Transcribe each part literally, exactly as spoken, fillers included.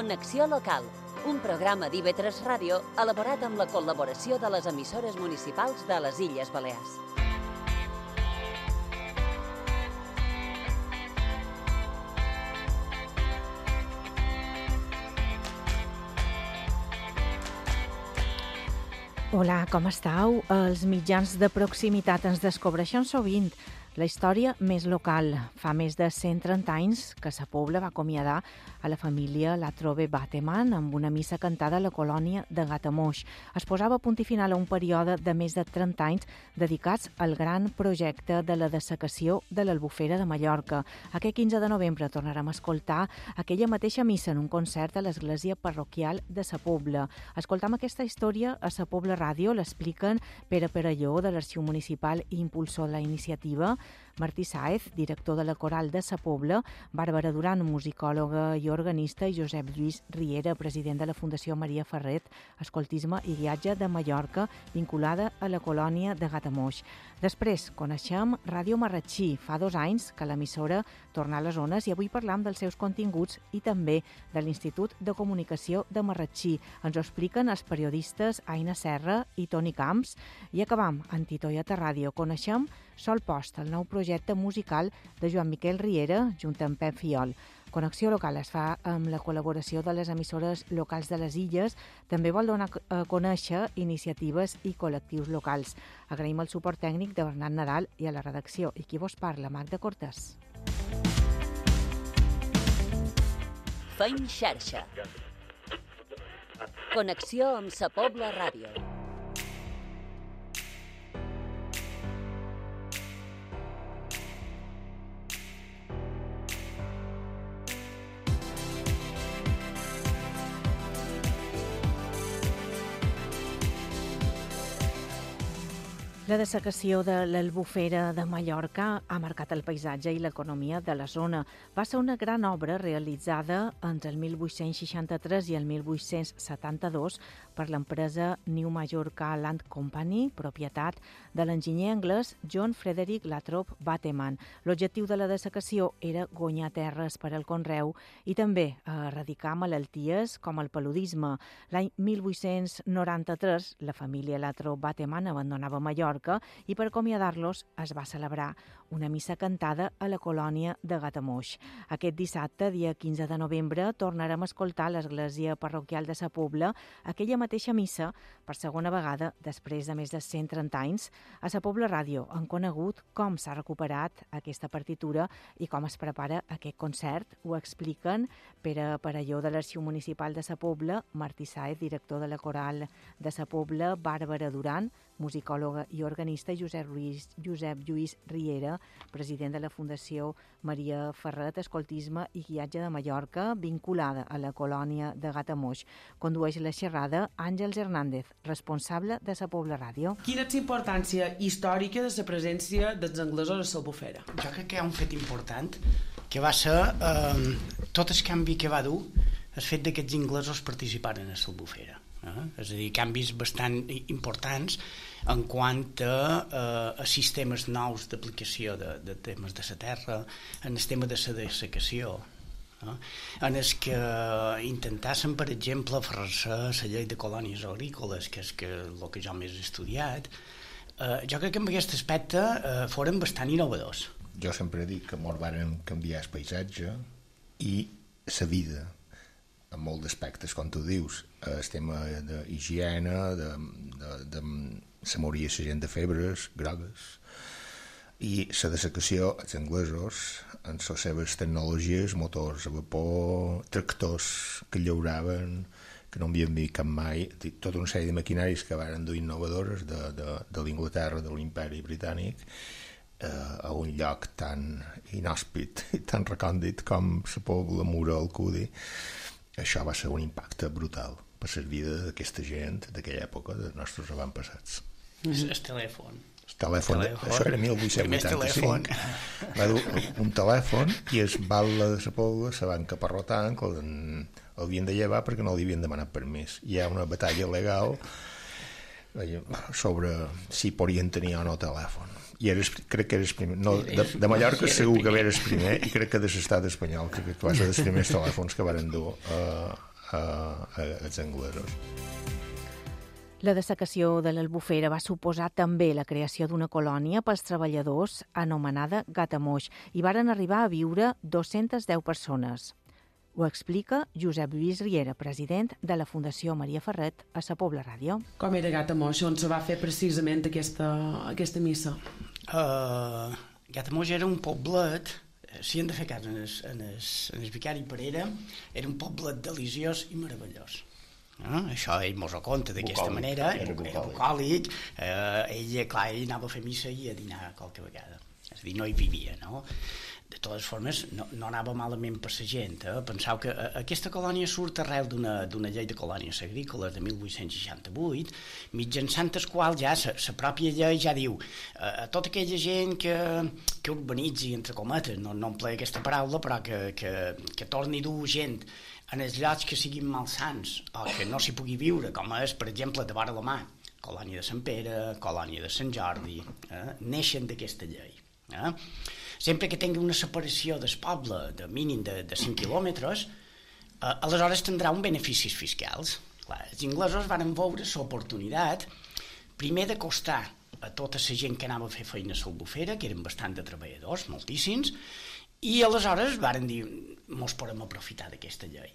Connexió Local, un programa d'I V tres Ràdio elaborat amb la col·laboració de les emissores municipals de les Illes Balears. Hola, com estàu? Els mitjans de proximitat ens descobreixen sovint la història més local. Fa més de cent trenta anys que Sa Pobla va acomiadar a la família Latrobe Bateman amb una missa cantada a la colònia de Gatamoix. Es posava a punt i final a un període de més de trenta anys dedicats al gran projecte de la dessecació de l'Albufera de Mallorca. Aquest quinze de novembre tornarem a escoltar aquella mateixa missa en un concert a l'església parroquial de Sa Pobla. Escoltam aquesta història a Sa Pobla Ràdio, l'expliquen Pere Perelló, de l'Arxiu Municipal i impulsor de la iniciativa, Martí Sáez, director de la Coral de Sa Pobla, Bàrbara Duran, musicòloga i organista, i Josep Lluís Riera, president de la Fundació Maria Ferret, Escoltisme i Guiatge de Mallorca, vinculada a la colònia de Gatamoix. Després coneixem Ràdio Marratxí. Fa dos anys que l'emissora torna a les zones i avui parlam dels seus continguts i també de l'Institut de Comunicació de Marratxí. Ens ho expliquen els periodistes Aina Serra i Toni Camps. I acabam amb Titoieta Ràdio. Coneixem Sol Post, el nou projecte musical de Joan Miquel Riera, junt amb Pep Fiol. Connexió Local es fa amb la col·laboració de les emissores locals de les Illes. També vol donar a conèixer iniciatives i col·lectius locals. Agraïm el suport tècnic de Bernat Nadal i a la redacció. I qui vos parla, Magda Cortés. Feim xarxa. Connexió amb Sa Pobla Ràdio. La dessecació de l'Albufera de Mallorca ha marcat el paisatge i l'economia de la zona. Va ser una gran obra realitzada entre el mil vuit-cents seixanta-tres i el mil vuit-cents setanta-dos per l'empresa New Mallorca Land Company, propietat de l'enginyer anglès John Frederick Latrobe Bateman. L'objectiu de la dessecació era guanyar terres per al conreu i també erradicar malalties com el paludisme. L'any mil vuit-cents noranta-tres, la família Latrobe Bateman abandonava Mallorca i per acomiadar-los es va celebrar una missa cantada a la colònia de Gatamoix. Aquest dissabte, dia quinze de novembre, tornarem a escoltar a l'església parroquial de Sa Pobla aquella mateixa missa per segona vegada després de més de cent trenta anys. A Sa Pobla Ràdio han conegut com s'ha recuperat aquesta partitura i com es prepara aquest concert. Ho expliquen Pere Perelló, de l'Arxiu Municipal de Sa Pobla, Martí Sáez, director de la Coral de Sa Pobla, Bàrbara Duran, musicòloga i organista, i Josep Lluís, Josep Lluís Riera, president de la Fundació Maria Ferret, Escoltisme i Guiatge de Mallorca, vinculada a la colònia de Gatamoix. Condueix la xerrada Àngels Hernández, responsable de Sa Pobla Ràdio. Quina és la importància històrica de la presència dels anglesos a l'Albufera? Jo crec que hi ha un fet important, que va ser eh, tot el canvi que va dur el fet que aquests inglesos participaren a l'Albufera. Eh? És a dir, canvis bastant importants en quant a, eh, a sistemes nous d'aplicació de, de temes de la terra, en el tema de la dessecació, eh? en el que intentassen, per exemple, aferrar-se a la llei de colònies agrícoles, que és que, el que jo més he estudiat. Eh, jo crec que en aquest aspecte eh, foren bastant innovadors. Jo sempre dic que molt varen canviar el paisatge i la vida en molts aspectes, com tu dius, el tema d'higiene, de, de, de, se moria la gent de febres grogues, i la dessecació, els anglesos, amb les seves tecnologies, motors a vapor, tractors que llauraven, que no havien vist cap mai, tota una sèrie de maquinaris que van dur innovadores de, de, de l'Inglaterra, de l'imperi britànic, eh, a un lloc tan inhòspit i tan recòndit com Sa Pobla, Mura, Alcudi. Això va ser un impacte brutal per la vida d'aquesta gent d'aquella època, dels nostres avantpassats. El telèfon. El telèfon, això era mil vuit-cents vuitanta-cinc. Va dur un telèfon i el batlle de Sa Pobla se van caparrotar, que l'havien de llevar perquè no li havien demanat permís. Hi ha una batalla legal sobre si podien tenir o no telèfon. I eres, crec que eres primer. No, de, de Mallorca segur que eres primer, i crec que de l'estat espanyol, crec que va ser dels primers telèfons que varen dur a, eh, els anglesos. La dessecació de l'Albufera va suposar també la creació d'una colònia pels treballadors anomenada Gatamoix i varen arribar a viure dues-centes deu persones. Ho explica Josep Lluís Riera, president de la Fundació Maria Ferret a Sa Pobla Ràdio. Com era Gatamoix, on se va fer precisament aquesta, aquesta missa? Uh, Gatamoix era un poblet, si hem de fer cas en el, en el, en el vicari Parera, era un poblet deliciós i meravellós. Uh, això ell mos ho conta d'aquesta manera, era, era bucòlic, uh, ell, clar, ell anava a fer missa i a dinar qualque vegada, és a dir, no hi vivia, no? De totes formes, no, no anava malament per la gent. Eh? Penseu que eh, aquesta colònia surt arrel d'una llei de colònies agrícoles de mil vuit-cents seixanta-vuit, mitjançant el qual ja la pròpia llei ja diu eh, a tota aquella gent que, que urbanitzi, entre cometes, no, no empleia aquesta paraula, però que, que, que torni a dur gent en els llocs que siguin malsans o que no s'hi pugui viure, com és, per exemple, de vora la mà, colònia de Sant Pere, colònia de Sant Jordi, eh? neixen d'aquesta llei. Eh? Sempre que tingui una separació del poble de mínim de, de cinc quilòmetres, eh, aleshores tindrà un beneficis fiscals. Clar, els inglesos van veure l'oportunitat primer d'acostar a tota la gent que anava a fer feina a l'Albufera, que eren bastant de treballadors, moltíssims, i aleshores varen dir, mos podem aprofitar d'aquesta llei.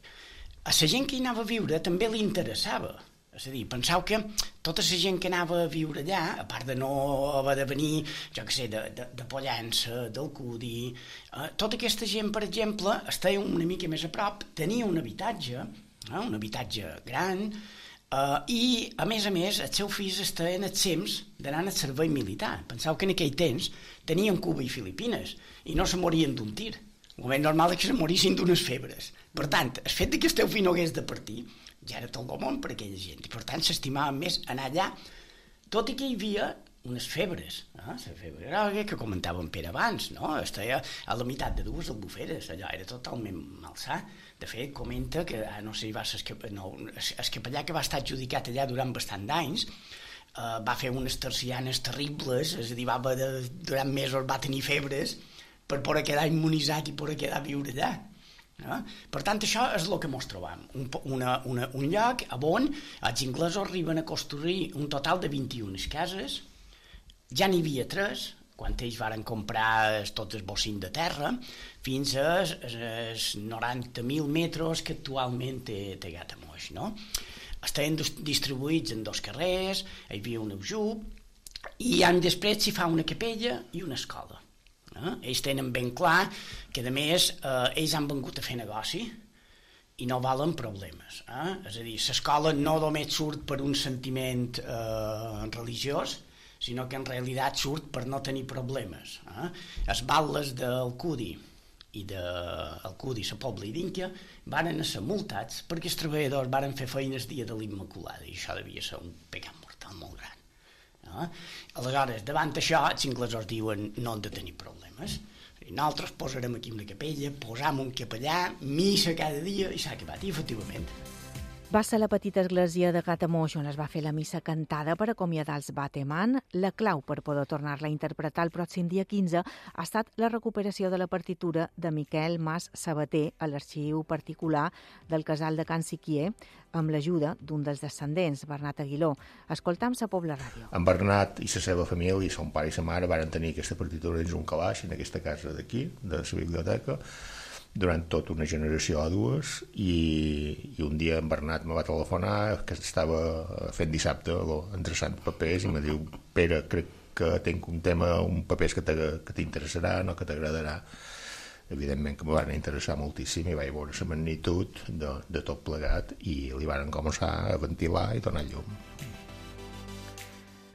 A la gent que hi anava a viure també li interessava. És a dir, penseu que tota la gent que anava a viure allà, a part de no haver de venir, jo què sé, de, de, de Pollença, d'Alcúdia, eh, tota aquesta gent, per exemple, estava una mica més a prop, tenia un habitatge, eh, un habitatge gran, eh, i, a més a més, els seus fills estaven exempts d'anar al servei militar. Penseu que en aquell temps tenien Cuba i Filipines, i no se morien d'un tir. El més normal és que se morissin d'unes febres. Per tant, el fet que el teu fill no hagués de partir ja era tot el món per a aquella gent, i per tant s'estimava més anar allà, tot i que hi havia unes febres, eh? La febre groga que comentava en Pere abans, no? Estava a la meitat de dues albuferes, allò era totalment malsà. De fet, comenta que, ah, no sé, va ser no, el capellà que va estar adjudicat allà durant bastant d'anys, eh, va fer unes tercianes terribles, és a dir, va, de, durant mesos va tenir febres per poder quedar immunitzat i poder quedar a viure allà. Eh? Per tant, això és el que ens trobam, un, una, una, un lloc on els inglesos arriben a construir un total de vint-i-una cases, ja n'hi havia tres, quan ells varen comprar tots els bocins de terra, fins als noranta mil metres que actualment té, té Gatamoix, no? Estaven distribuïts en dos carrers, hi havia un aljub, i any després s'hi fa una capella i una escola. Eh? Ells tenen ben clar que, a més, eh, ells han vengut a fer negoci i no valen problemes. Eh? És a dir, l'escola no només surt per un sentiment eh, religiós, sinó que en realitat surt per no tenir problemes. Eh? Els batlles d'Alcúdi i d'Alcúdi, Sa Pobla i d'Ínquia varen ser multats perquè els treballadors varen fer feines dia de l'Immaculada, i això devia ser un pecat mortal molt gran. Eh? Aleshores, davant això, els inglesos diuen no han de tenir problemes. I nosaltres posarem aquí una capella, posam un capellà, missa cada dia, i s'ha acabat. I efectivament. Va ser la petita església de Gatamoix on es va fer la missa cantada per acomiadar els Bateman. La clau per poder tornar-la a interpretar el pròxim dia quinze ha estat la recuperació de la partitura de Miquel Mas Sabater a l'arxiu particular del casal de Can Siquier, amb l'ajuda d'un dels descendents, Bernat Aguiló. Escoltam Sa Pobla Ràdio. En Bernat i la seva família, son pare i sa mare, varen tenir aquesta partitura dins un calaix en aquesta casa d'aquí, de la biblioteca, durant tota una generació o dues, i, i un dia en Bernat me va telefonar que estava fent dissabte endreçant papers i me diu: Pere, crec que tinc un tema, un papers que t'interessarà, no que t'agradarà. Evidentment que me van interessar moltíssim i vaig veure la magnitud de, de tot plegat i li van començar a ventilar i donar llum.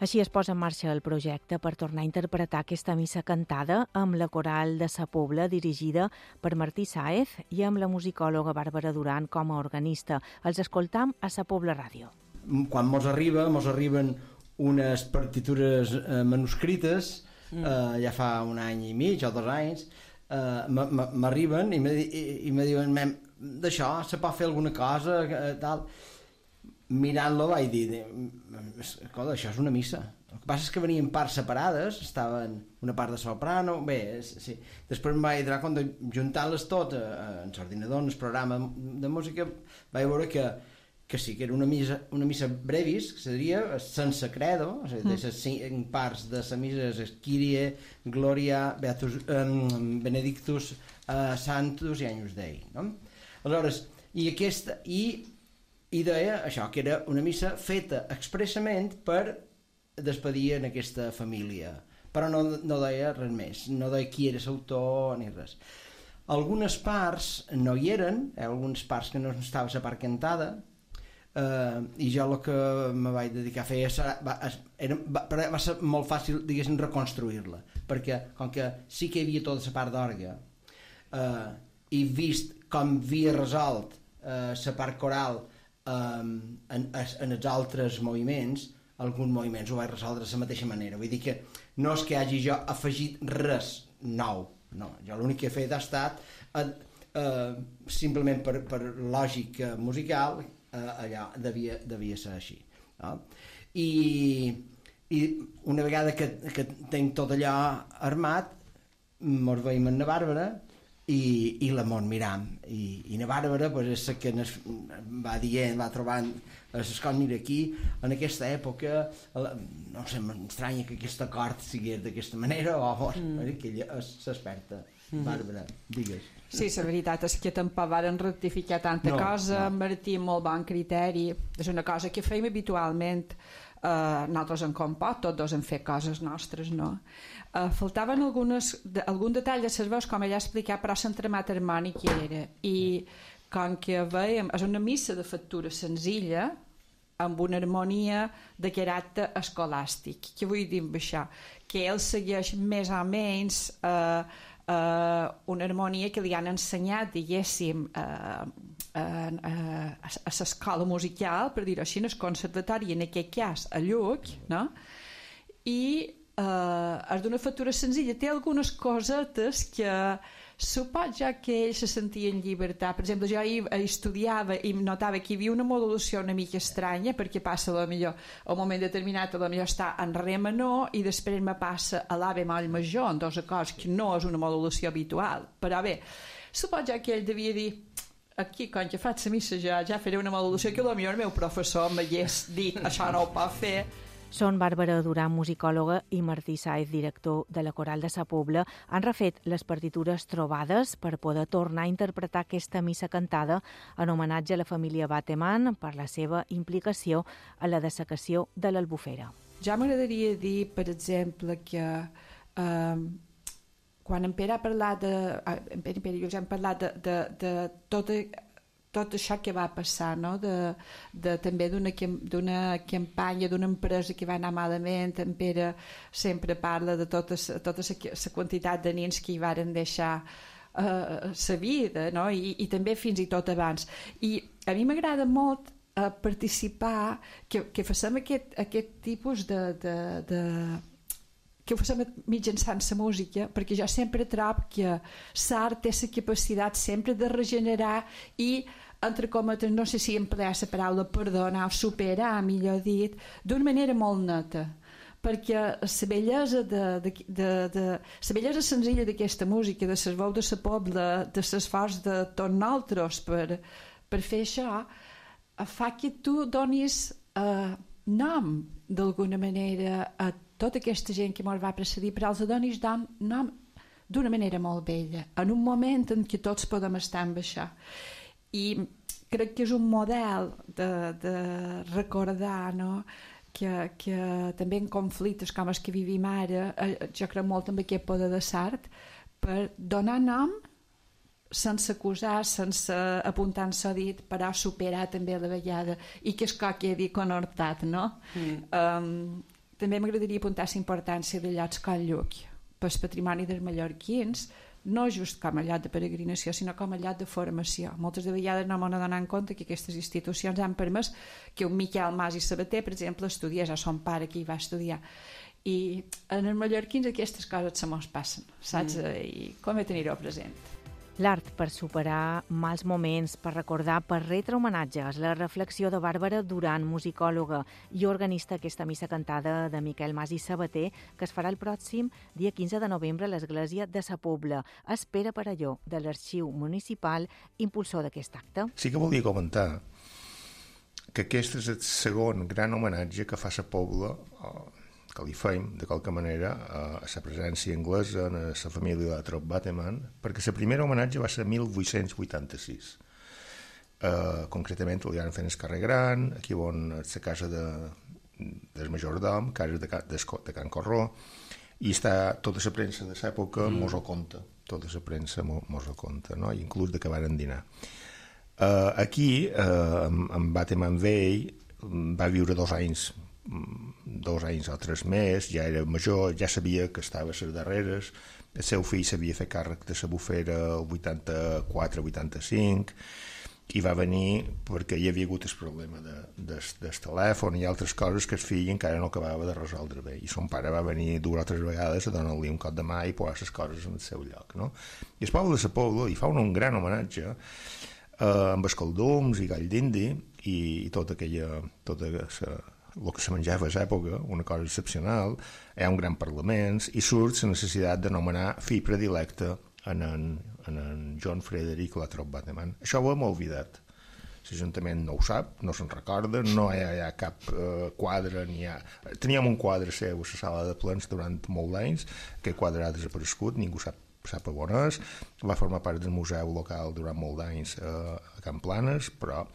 Així es posa en marxa el projecte per tornar a interpretar aquesta missa cantada amb la coral de Sa Pobla, dirigida per Martí Sáez, i amb la musicòloga Bàrbara Duran com a organista. Els escoltam a Sa Pobla Ràdio. Quan mos arriba, mos arriben unes partitures eh, manuscrites, eh, ja fa un any i mig o dos anys, eh, m'arriben i me, i, i me diuen: d'això, se pot fer alguna cosa, eh, tal... mirant-lo vaig dir, escolta, això és una missa. El que passa és que venien parts separades, estaven una part de soprano, bé, sí. Després em vaig donar compte, juntant-les tot en l'ordinador, en el programa de música, vaig veure que, que sí, que era una missa, una missa brevis, que seria sense credo, és a dir, de les cinc parts de la missa és Kyrie, Gloria, Beatus, um, Benedictus, uh, Sanctus i Agnus Dei, no? Aleshores, i aquesta, i, i deia això, que era una missa feta expressament per despedir en aquesta família, però no, no deia res més, no deia qui era l'autor ni res. Algunes parts no hi eren, eh, algunes parts que no estava la part cantada, eh, i jo el que me vaig dedicar a fer serà, va, era, va, va ser molt fàcil, diguéssim, reconstruir-la, perquè com que sí que hi havia tota la part d'orgue, eh, i vist com havia resolt la eh, part coral eh, en, en els altres moviments, alguns moviments ho vaig resoldre de la mateixa manera. Vull dir que no és que hagi jo afegit res nou, no. Jo l'únic que he fet ha estat eh, eh, simplement per, per lògica musical, eh, allà devia, devia ser així, no? I, i una vegada que, que tenc tot allò armat, mos veiem amb la Bàrbara i, i la mos miram, i, i la Bàrbara pues, és la que nos va dient, va trobant l'escol, mira aquí, en aquesta època la, no sé, m'estranya que aquest acord sigués d'aquesta manera, o mm. que ella és l'experta. Mm-hmm. Bàrbara, digues. Sí, la veritat és que tampoc varen rectificar tanta no, cosa, no. Martí, molt bon criteri, és una cosa que fèiem habitualment. Uh, nosaltres en compot, tots dos hem fet coses nostres, no? Uh, faltaven algunes, de, algun detall de les veus, com ella ha explicat, però l'entremat harmònic hi era, i com que veiem, és una missa de factura senzilla, amb una harmonia de caràcter escolàstic. Què vull dir amb això? Que ell segueix més o menys uh, uh, una harmonia que li han ensenyat, diguéssim, uh, uh, uh, a l'escola musical, per dir-ho així, en el conservatori, en aquest cas a Lluc, no? I uh, és d'una factura senzilla, té algunes cosetes que suposo ja que ell se sentia en llibertat. Per exemple, jo hi estudiava i notava que hi havia una modulació una mica estranya, perquè passa a millor a un moment determinat a millor està en re menor i després me passa a la bemoll major, en dos acords, que no és una modulació habitual. Però bé, suposo ja que ell devia dir, aquí, quan que faig la missa ja, ja faré una modulació que potser el meu professor m'hagués dit, això no ho pot fer. Són Bàrbara Duran, musicòloga, i Martí Sáez, director de la Coral de Sa Pobla, han refet les partitures trobades per poder tornar a interpretar aquesta missa cantada en homenatge a la família Bateman per la seva implicació a la dessecació de l'Albufera. Ja m'agradaria dir, per exemple, que eh, quan en Pere ha parlat de... En Pere i Pere i jo ja hem parlat de, de, de tota tot això que va passar, no? de, de, també d'una campanya, d'una empresa que va anar malament. En Pere sempre parla de tota la quantitat de nens que hi varen deixar la uh, vida, no? I, i també fins i tot abans. I a mi m'agrada molt uh, participar, que, que facem aquest, aquest tipus de... de, de que ho fem mitjançant la música, perquè jo sempre trobo que l'art té la capacitat sempre de regenerar i, entre cometes, no sé si emplear la paraula perdonar o superar, millor dit, d'una manera molt neta, perquè la bellesa de, de, de, de la bellesa senzilla d'aquesta música, de les veus de la Pobla, de l'esforç de tots nosaltres per, per fer això, fa que tu donis eh, nom d'alguna manera a tota aquesta gent que ens va precedir, però els donis nom d'una manera molt bella, en un moment en què tots podem estar amb això. I crec que és un model de, de recordar, no? que, que també en conflictes com els que vivim ara, jo crec molt en aquest poder de l'art, per donar nom sense acusar, sense apuntar en s'ha dit, però superar també la vegada, i que és que quedi conhortat, no? Mm. Um, també m'agradaria apuntar la importància de llocs com Lluc pel patrimoni dels mallorquins, no just com a lloc de peregrinació, sinó com a lloc de formació. Moltes de vegades no m'han donat en compte que aquestes institucions han permès que un Miquel Mas i Sabater, per exemple, estudiés, a son pare que hi va estudiar. I en els mallorquins aquestes coses se mos passen, saps? Mm. I com he tenir-ho present. L'art per superar mals moments, per recordar, per retre homenatges. La reflexió de Bàrbara Duran, musicòloga i organista d'aquesta missa cantada de Miquel Mas i Sabater, que es farà el pròxim dia quinze de novembre a l'església de Sa Pobla. Espera per allò de l'Arxiu Municipal, impulsor d'aquest acte. Sí que volia comentar que aquest és el segon gran homenatge que fa Sa Pobla, que li feim, de qualque manera, a la presència anglesa en la família de la Trop Bateman, perquè el primer homenatge va ser mil vuit-cents vuitanta-sis. Uh, concretament li van fer el carrer Gran, aquí on és la casa de, del majordom, casa de, de, de Can Corró, i està tota la premsa de l'època mm. mos ho conta, tota la premsa mos ho conta, no? I inclús de que varen dinar. Uh, aquí, uh, amb, amb Bateman vell, va viure dos anys dos anys o tres més, ja era major, ja sabia que estava a les darreres, el seu fill s'havia fet càrrec de la bufera el vuitanta-quatre vuitanta-cinc, i va venir perquè hi havia hagut el problema de, de, del telèfon i altres coses que el fill encara no acabava de resoldre bé, i son pare va venir dues o tres vegades a donar-li un cop de mà i posar les coses en el seu lloc, no? I el poble de Sa Pobla li fa un, un gran homenatge eh, amb escaldums i gall d'indi i, i tota aquella tota la el que se menjava a l'època, una cosa excepcional, hi ha un gran parlament i surt la necessitat de nomenar fill predilecte en en, en en John Frederick Latrobe Bateman. Això ho hem oblidat. L'Ajuntament no ho sap, no se'n recorda, no hi ha, hi ha cap eh, quadre, ni hi ha... Teníem un quadre seu a la sala de plens durant molt d'anys, aquest quadre ha desaparegut, ningú sap sap on és, va formar part del museu local durant molt d'anys eh, a Can Planes, però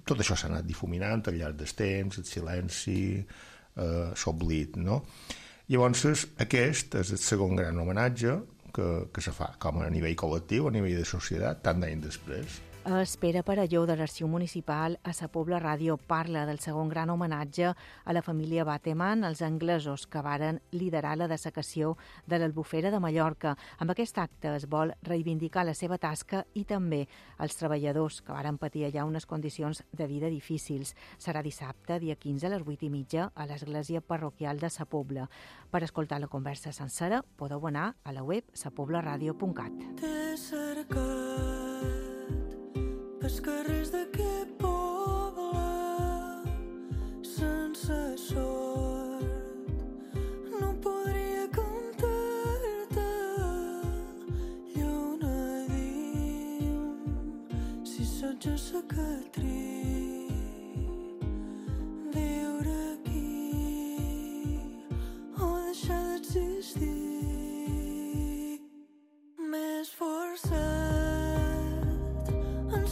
tot això s'ha anat difuminant al llarg del temps, el silenci, eh, s'oblit, no? Llavors, aquest és el segon gran homenatge que, que se fa, com a nivell col·lectiu, a nivell de societat, tant d'anys després. Espera per allò de l'Arxiu Municipal a Sa Pobla Ràdio parla del segon gran homenatge a la família Bateman, els anglesos que varen liderar la dessecació de l'Albufera de Mallorca. Amb aquest acte es vol reivindicar la seva tasca i també els treballadors que varen patir allà unes condicions de vida difícils. Serà dissabte, dia quinze, a les vuit i mitja, a l'església parroquial de Sa Pobla. Per escoltar la conversa sencera podeu anar a la web sa pobla ràdio punt cat. T'he cercat pels carrers d'aquest poble sense sort, no podria cantar-te lluna diu si sots a sa Catrí, viure aquí o deixar d'existir. M'he esforçat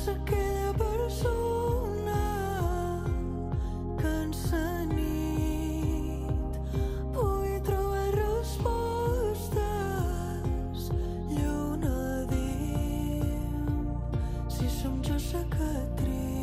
aquella persona que en sa nit pugui trobar respostes. Lluna diu si som jo sa Catrí,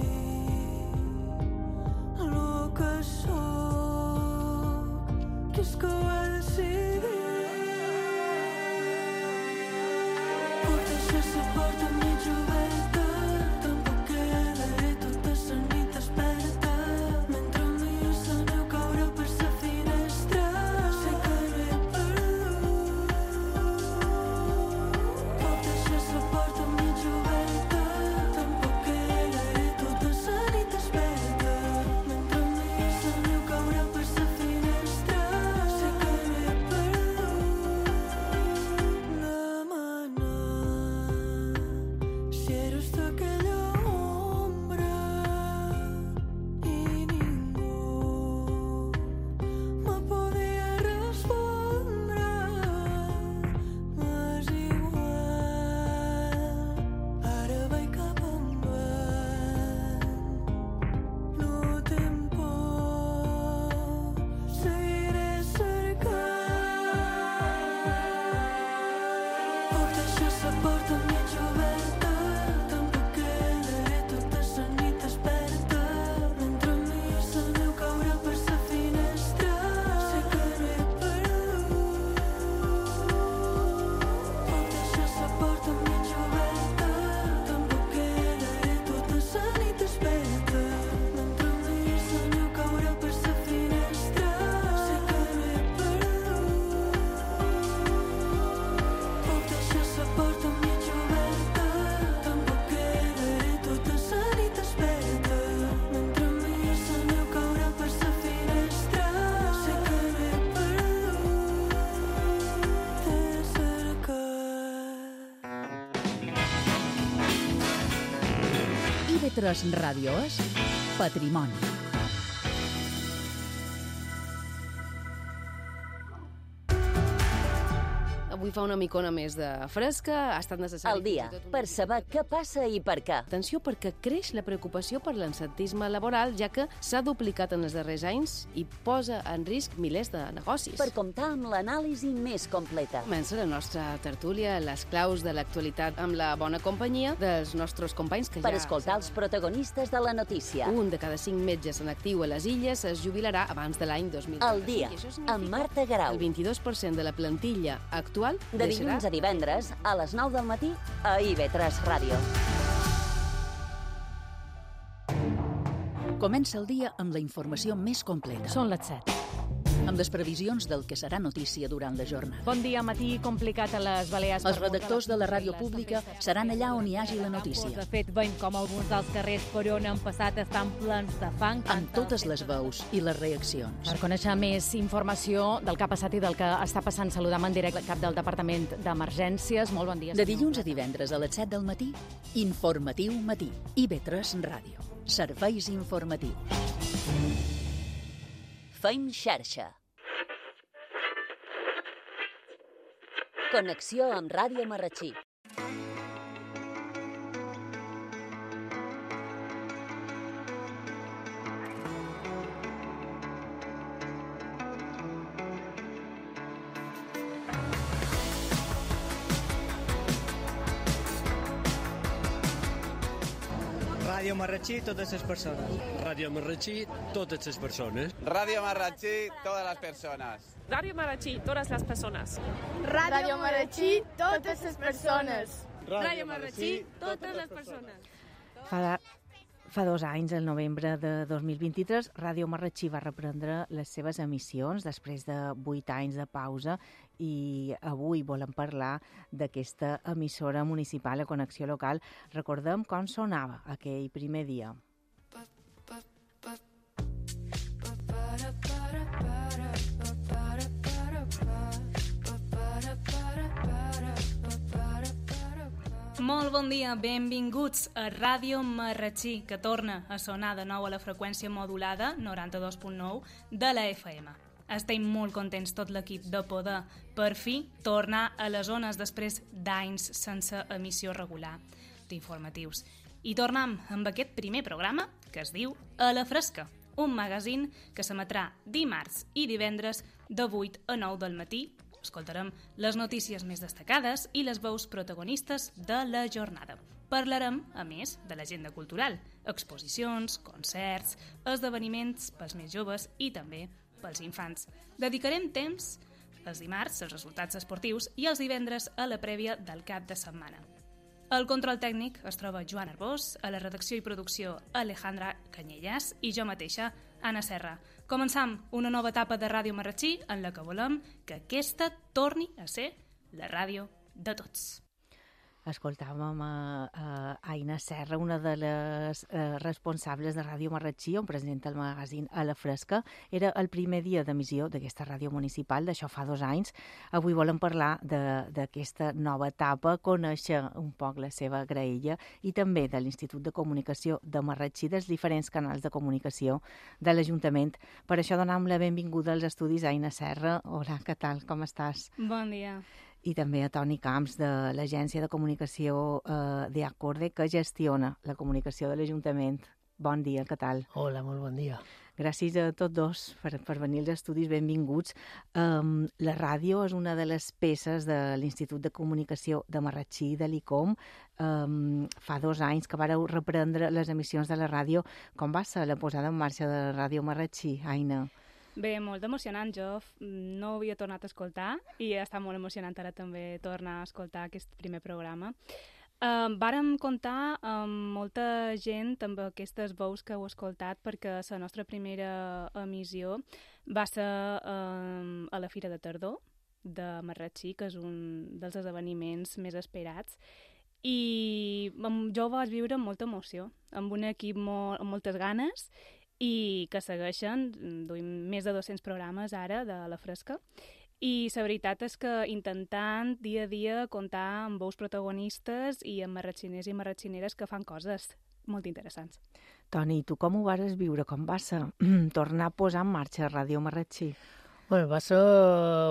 tres Ràdio és Patrimoni. Avui fa una micona més de fresca, ha estat necessari... Al dia, per saber què passa i per què. Atenció, perquè creix la preocupació per l'absentisme laboral, ja que s'ha duplicat en els darrers anys i posa en risc milers de negocis. Per comptar amb l'anàlisi més completa. Comença la nostra tertúlia, les claus de l'actualitat amb la bona companyia dels nostres companys que per ja... Per escoltar els protagonistes de la notícia. Un de cada cinc metges en actiu a les Illes es jubilarà abans de l'any dos mil Al dia, amb Marta Grau. El vint-i-dos per cent de la plantilla actual de dilluns a divendres, a les nou del matí, a I B tres Ràdio. Comença el dia amb la informació més completa. Són les set. Amb les previsions del que serà notícia durant la jornada. Bon dia, matí complicat a les Balears. Els redactors de la ràdio pública seran allà on hi hagi la notícia. De fet, veiem com alguns dels carrers per on han passat estan plens de fang. Amb totes les veus i les reaccions. Per conèixer més informació del que ha passat i del que està passant, saludam en directe el cap del Departament d'Emergències. Molt bon dia. De dilluns a divendres a les set del matí, Informatiu Matí. I B tres Ràdio. Serveis informatius. Feim xarxa. Connexió amb Ràdio Marratxí. Ràdio Marratxí, totes les persones. Ràdio Marratxí, totes les persones. Ràdio Marratxí, totes les persones. Ràdio Marratxí, totes les persones. Ràdio Marratxí, totes les persones. Ràdio Marratxí, totes les persones. Fa, fa dos anys, el novembre de dos mil vint-i-tres, Ràdio Marratxí va reprendre les seves emissions després de vuit anys de pausa i avui volem parlar d'aquesta emissora municipal a Connexió Local. Recordem com sonava aquell primer dia. Molt bon dia, benvinguts a Ràdio Marratxí, que torna a sonar de nou a la freqüència modulada noranta-dos punt nou de la F M. Estem molt contents tot l'equip de poder, per fi, tornar a les zones després d'anys sense emissió regular d'informatius. I tornem amb aquest primer programa que es diu A la Fresca, un magazín que s'emetrà dimarts i divendres de vuit a nou del matí. Escoltarem les notícies més destacades i les veus protagonistes de la jornada. Parlarem, a més, de l'agenda cultural, exposicions, concerts, esdeveniments pels més joves i també pels infants. Dedicarem temps els dimarts als resultats esportius i els divendres a la prèvia del cap de setmana. Al control tècnic es troba Joan Arbós, a la redacció i producció Alejandra Canyelles i jo mateixa, Anna Serra. Començam una nova etapa de Ràdio Marratxí en la que volem que aquesta torni a ser la ràdio de tots. Escoltàvem a, a Aina Serra, una de les eh, responsables de Ràdio Marratxí, on presenta el magazín A la Fresca. Era el primer dia d'emissió d'aquesta ràdio municipal, d'això fa dos anys. Avui volem parlar d'aquesta nova etapa, conèixer un poc la seva graella i també de l'Institut de Comunicació de Marratxí, dels diferents canals de comunicació de l'Ajuntament. Per això donem la benvinguda als estudis a Aina Serra. Hola, què tal? Com estàs? Bon dia. I també a Toni Camps, de l'Agència de Comunicació eh, de Acorde, que gestiona la comunicació de l'Ajuntament. Bon dia, què tal? Hola, molt bon dia. Gràcies a tots dos per, per venir als estudis, benvinguts. Um, la ràdio és una de les peces de l'Institut de Comunicació de Marratxí, de l'I C O M. Um, fa dos anys que vareu reprendre les emissions de la ràdio. Com va ser la posada en marxa de Ràdio Marratxí, Aina? Bé, molt emocionant. Jo no havia tornat a escoltar i està molt emocionant ara també tornar a escoltar aquest primer programa. Uh, vàrem comptar amb molta gent amb aquestes veus que heu escoltat perquè la nostra primera emissió va ser uh, a la Fira de Tardor de Marratxí, que és un dels esdeveniments més esperats. I jo ho vaig viure amb molta emoció, amb un equip molt, amb moltes ganes i que segueixen, duim més de dos-cents programes ara de La Fresca, i la veritat és que intentant dia a dia comptar amb veus protagonistes i amb marratxiners i marratxineres que fan coses molt interessants. Toni, tu com ho vas viure? Com va ser tornar a posar en marxa Ràdio Marratxí? Bé, va ser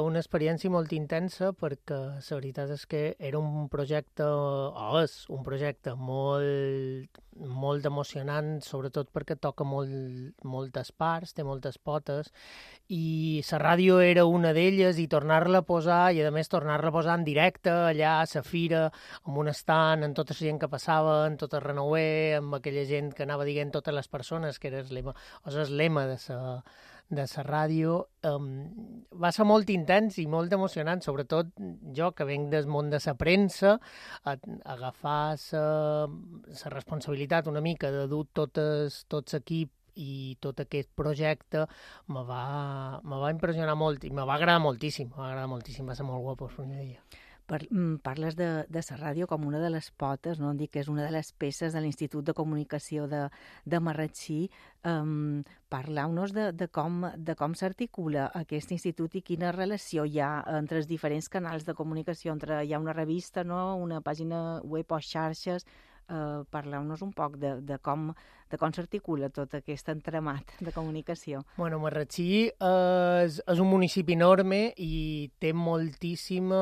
una experiència molt intensa perquè la veritat és que era un projecte, o és un projecte molt, molt emocionant, sobretot perquè toca molt, moltes parts, té moltes potes, i la ràdio era una d'elles, i tornar-la a posar, i a més tornar-la a posar en directe, allà a la fira, amb un estant, amb tota la gent que passava, amb tot el renouer, amb aquella gent que anava dient totes les persones, que era el lema, o sigui, el lema de la de la ràdio, um, va ser molt intens i molt emocionant, sobretot jo, que venc del món de la premsa, a, a agafar la responsabilitat una mica de dur totes, tot l'equip i tot aquest projecte me va, me va impressionar molt i me va agradar moltíssim, me va agradar moltíssim, va ser molt guapo el primer dia. Per, parles de, de la ràdio com una de les potes, no? Dic que és una de les peces de l'Institut de Comunicació de, de Marratxí. Um, Parleu-nos de, de com, de com s'articula aquest institut i quina relació hi ha entre els diferents canals de comunicació, entre hi ha una revista, no? Una pàgina web o xarxes. Uh, Parleu-nos un poc de, de com, de com s'articula tot aquest entramat de comunicació. Bueno, Marratxí és, és un municipi enorme i té moltíssima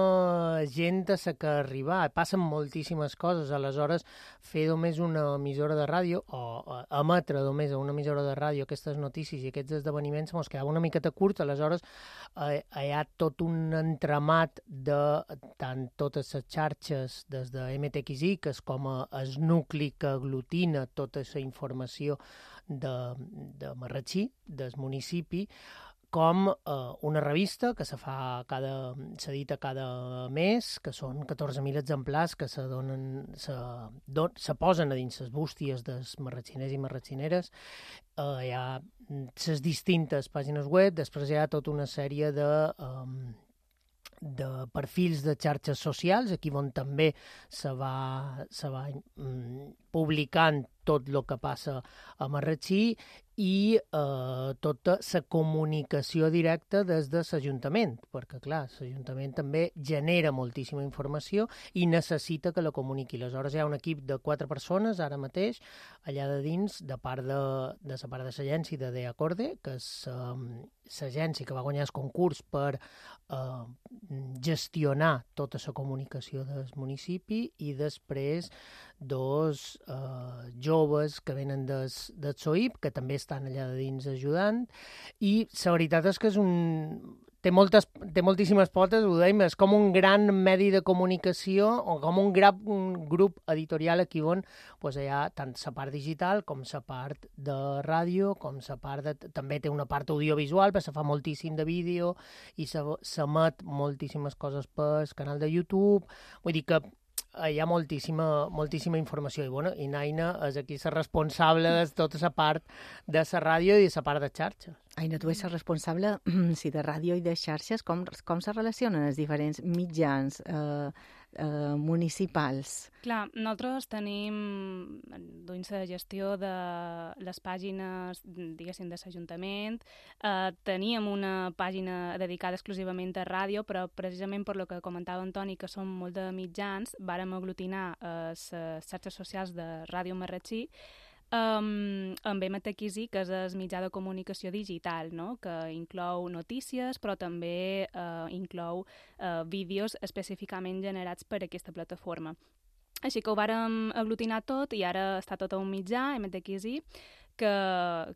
gent a la que arribar, passen moltíssimes coses, aleshores fer només una emissora de ràdio o emetre només a una emissora de ràdio aquestes notícies i aquests esdeveniments ens quedava una miqueta curt, aleshores eh, hi ha tot un entramat de tant totes les xarxes des de M T X I com a el nucli que aglutina tota la informació de, de Marratxí, del municipi, com eh, una revista que se fa cada, s'edita cada mes, que són catorze mil exemplars que se, donen, se, don, se posen a dins les bústies dels marratxiners i marratxineres. Eh, hi ha les distintes pàgines web, després hi ha tota una sèrie de... Eh, de perfils de xarxes socials, aquí on també se va, se va mm, publicant tot el que passa a Marratxí i eh, tota la comunicació directa des de l'Ajuntament, perquè, clar, l'Ajuntament també genera moltíssima informació i necessita que la comuniqui. Aleshores, hi ha un equip de quatre persones, ara mateix, allà de dins, de part de, de la part de l'agència de De Acorde, que és um, l'agència que va guanyar el concurs per uh, gestionar tota la comunicació del municipi, i després dos uh, joves que venen del, del S O I P, que també estan allà de dins ajudant, i la veritat és que és un... Té, moltes, té moltíssimes potes, ho dèiem, és com un gran medi de comunicació o com un, gran, un grup editorial aquí on pues, hi ha tant la part digital com la part de ràdio, com la part de... També té una part audiovisual, perquè se fa moltíssim de vídeo i s'emet moltíssimes coses pel canal de YouTube. Vull dir que hi ha moltíssima, moltíssima informació i, bueno, i Naina és aquí la responsable de tota la part de la ràdio i de la part de xarxes. Aina, tu ets la responsable sí, de ràdio i de xarxes. Com, com se relacionen els diferents mitjans eh, eh, municipals? Clar, nosaltres tenim doncs, la gestió de les pàgines, diguéssim, de l'Ajuntament. Eh, teníem una pàgina dedicada exclusivament a ràdio, però precisament per lo que comentava Antoni, que som molt de mitjans, vàrem aglutinar eh, les xarxes socials de Ràdio Marratxí, Um, amb M T X I, que és el mitjà de comunicació digital, no? Que inclou notícies, però també uh, inclou uh, vídeos específicament generats per aquesta plataforma. Així que ho vàrem aglutinar tot i ara està tot a un mitjà, M T X I, que,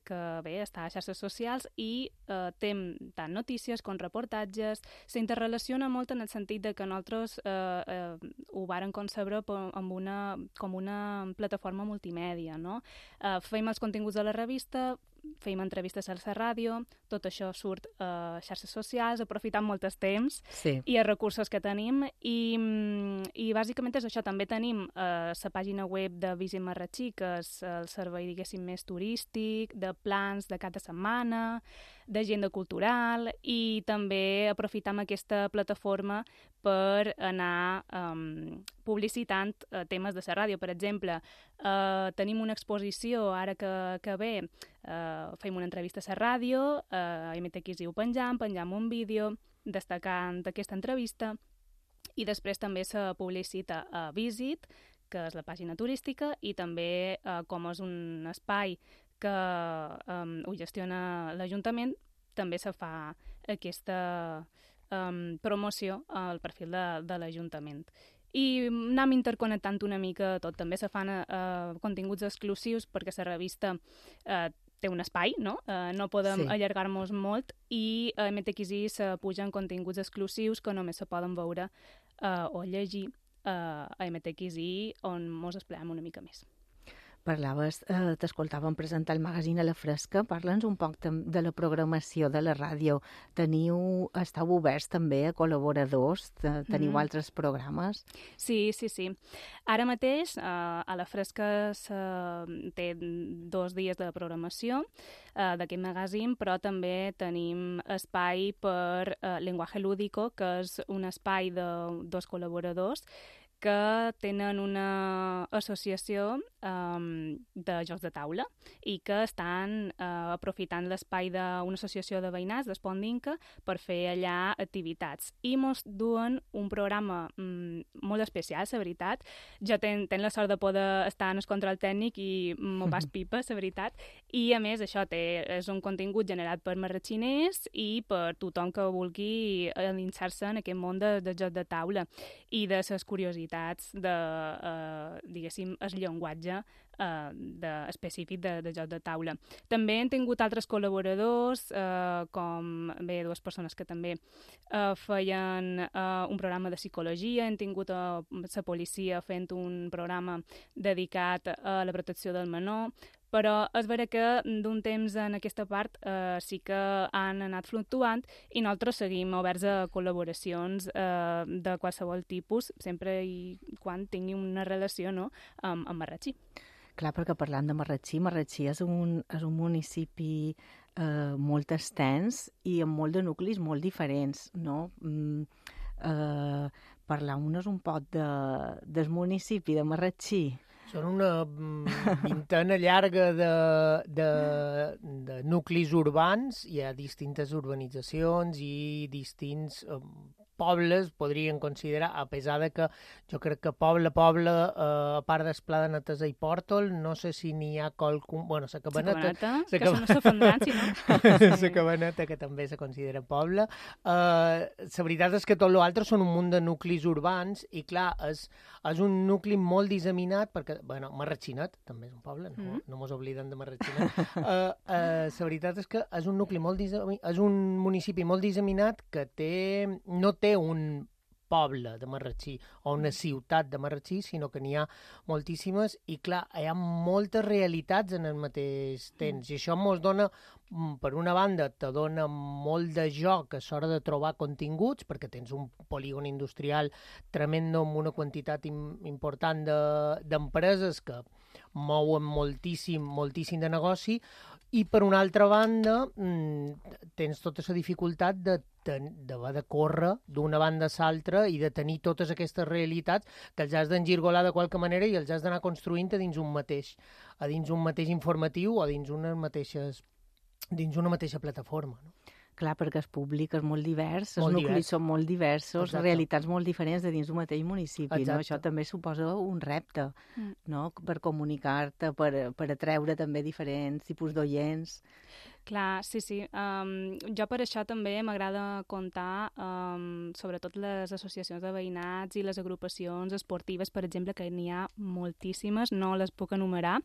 que bé, està a xarxes socials i eh, té tant notícies com reportatges. S'interrelaciona molt en el sentit de que nosaltres eh, eh, ho vàrem concebre amb una, com una plataforma multimèdia, no? Eh, fem els continguts de la revista, fem entrevistes a la ràdio, tot això surt a xarxes socials, aprofitant molt el temps sí. i els recursos que tenim. I, i bàsicament és això. També tenim eh, la pàgina web de Visit Marratxí, que és el servei, diguéssim, més turístic, de plans de cada setmana, d'agenda cultural, i també aprofitam aquesta plataforma per anar um, publicitant uh, temes de la ràdio. Per exemple, uh, tenim una exposició ara que, que ve, uh, fem una entrevista a la ràdio, uh, a M T X I ho penjam, penjam un vídeo destacant aquesta entrevista, i després també se publicita a Visit, que és la pàgina turística, i també eh, com és un espai que um, ho gestiona l'Ajuntament, també se fa aquesta um, promoció al perfil de, de l'Ajuntament. I anem interconnectant una mica tot. També se fan uh, continguts exclusius perquè la revista uh, té un espai, no? Uh, no podem sí. allargar-nos molt, i a M T X I se pugen continguts exclusius que només se poden veure uh, o llegir uh, a M T X I, on mos expliquem una mica més. Parlaves, eh, t'escoltàvem presentar el magazín a la fresca. Parla'ns un poc de la programació de la ràdio. Teniu, estàu oberts també a col·laboradors? Teniu mm. altres programes? Sí, sí, sí. Ara mateix eh, a la fresca se, té dos dies de programació eh, d'aquest magazín, però també tenim espai per eh, Lenguaje Lúdico, que és un espai de dos col·laboradors que tenen una associació um, de jocs de taula i que estan uh, aprofitant l'espai d'una associació de veïnats d'Espondinca per fer allà activitats. I mos duen un programa um, molt especial, la veritat. Jo ten, ten la sort de poder estar en el control tècnic i m'ho pas pipa, la veritat. I, a més, això té, és un contingut generat per marratxiners i per tothom que vulgui endinsar-se en aquest món de, de jocs de taula i de les curiositats de, eh, diguéssim, el llenguatge eh, de, específic de, de joc de taula. També hem tingut altres col·laboradors, eh, com bé dues persones que també eh, feien eh, un programa de psicologia, hem tingut a la policia fent un programa dedicat a la protecció del menor, però és vera que d'un temps en aquesta part eh, sí que han anat fluctuant i nosaltres seguim oberts a col·laboracions eh, de qualsevol tipus, sempre i quan tingui una relació, no?, amb, amb Marratxí. Clar, perquè parlant de Marratxí, Marratxí és un, és un municipi eh, molt extens i amb molt de nuclis molt diferents, no? Mm, eh, Parlar-nos un poc de, del municipi de Marratxí. Són una vintena llarga de, de, de nuclis urbans, hi ha distintes urbanitzacions i distints eh, pobles, podrien considerar, a pesar de que jo crec que poble, poble, eh, a part d'Esplà de Netesa i Pòrtol, no sé si n'hi ha qualcun... Bueno, la Cabaneta... La Cabaneta, que són s'afondran, si no? La Cabaneta, que també se considera poble. Eh, la veritat és que tot l'altre són un munt de nuclis urbans i, clar, és, és un nucli molt disseminat, perquè, bueno, Marratxinet també és un poble, no, mm. no mos obliden de Marratxinet. uh, uh, la veritat és que és un nucli molt disseminat, és un municipi molt disseminat que té, no té un poble de Marratxí o una ciutat de Marratxí, sinó que n'hi ha moltíssimes i, clar, hi ha moltes realitats en el mateix temps mm. i això mos dona, per una banda, te dona molt de joc a l'hora de trobar continguts, perquè tens un polígon industrial tremendo amb una quantitat im important d'empreses de, que mouen moltíssim, moltíssim de negoci, i per una altra banda tens tota la dificultat de d'haver de córrer d'una banda a l'altra i de tenir totes aquestes realitats que els has d'engirgolar de qualque manera i els has d'anar construint a dins un mateix, a dins un mateix informatiu o dins unes mateixes, dins una mateixa plataforma, no? Clar, perquè el públic és molt divers, els molt nuclis divers. són molt diversos, Exacte. Realitats molt diferents de dins d'un mateix municipi, no? Això també suposa un repte, mm. no?, per comunicar-te, per, per atreure també diferents tipus d'oients. Clar, sí, sí. Um, jo per això també m'agrada comptar um, sobretot les associacions de veïnats i les agrupacions esportives, per exemple, que n'hi ha moltíssimes, no les puc enumerar.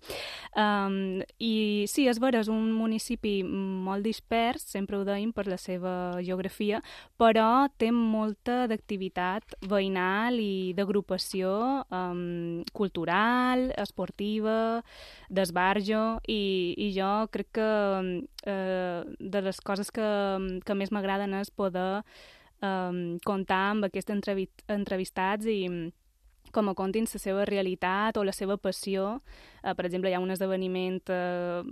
Um, I sí, és vera, és un municipi molt dispers, sempre ho deim per la seva geografia, però té molta d'activitat veïnal i d'agrupació um, cultural, esportiva, d'esbarjo, i, i jo crec que eh, de les coses que, que més m'agraden és poder eh, comptar amb aquests entrevistats i com a contin la seva realitat o la seva passió. Uh, per exemple, hi ha un esdeveniment uh,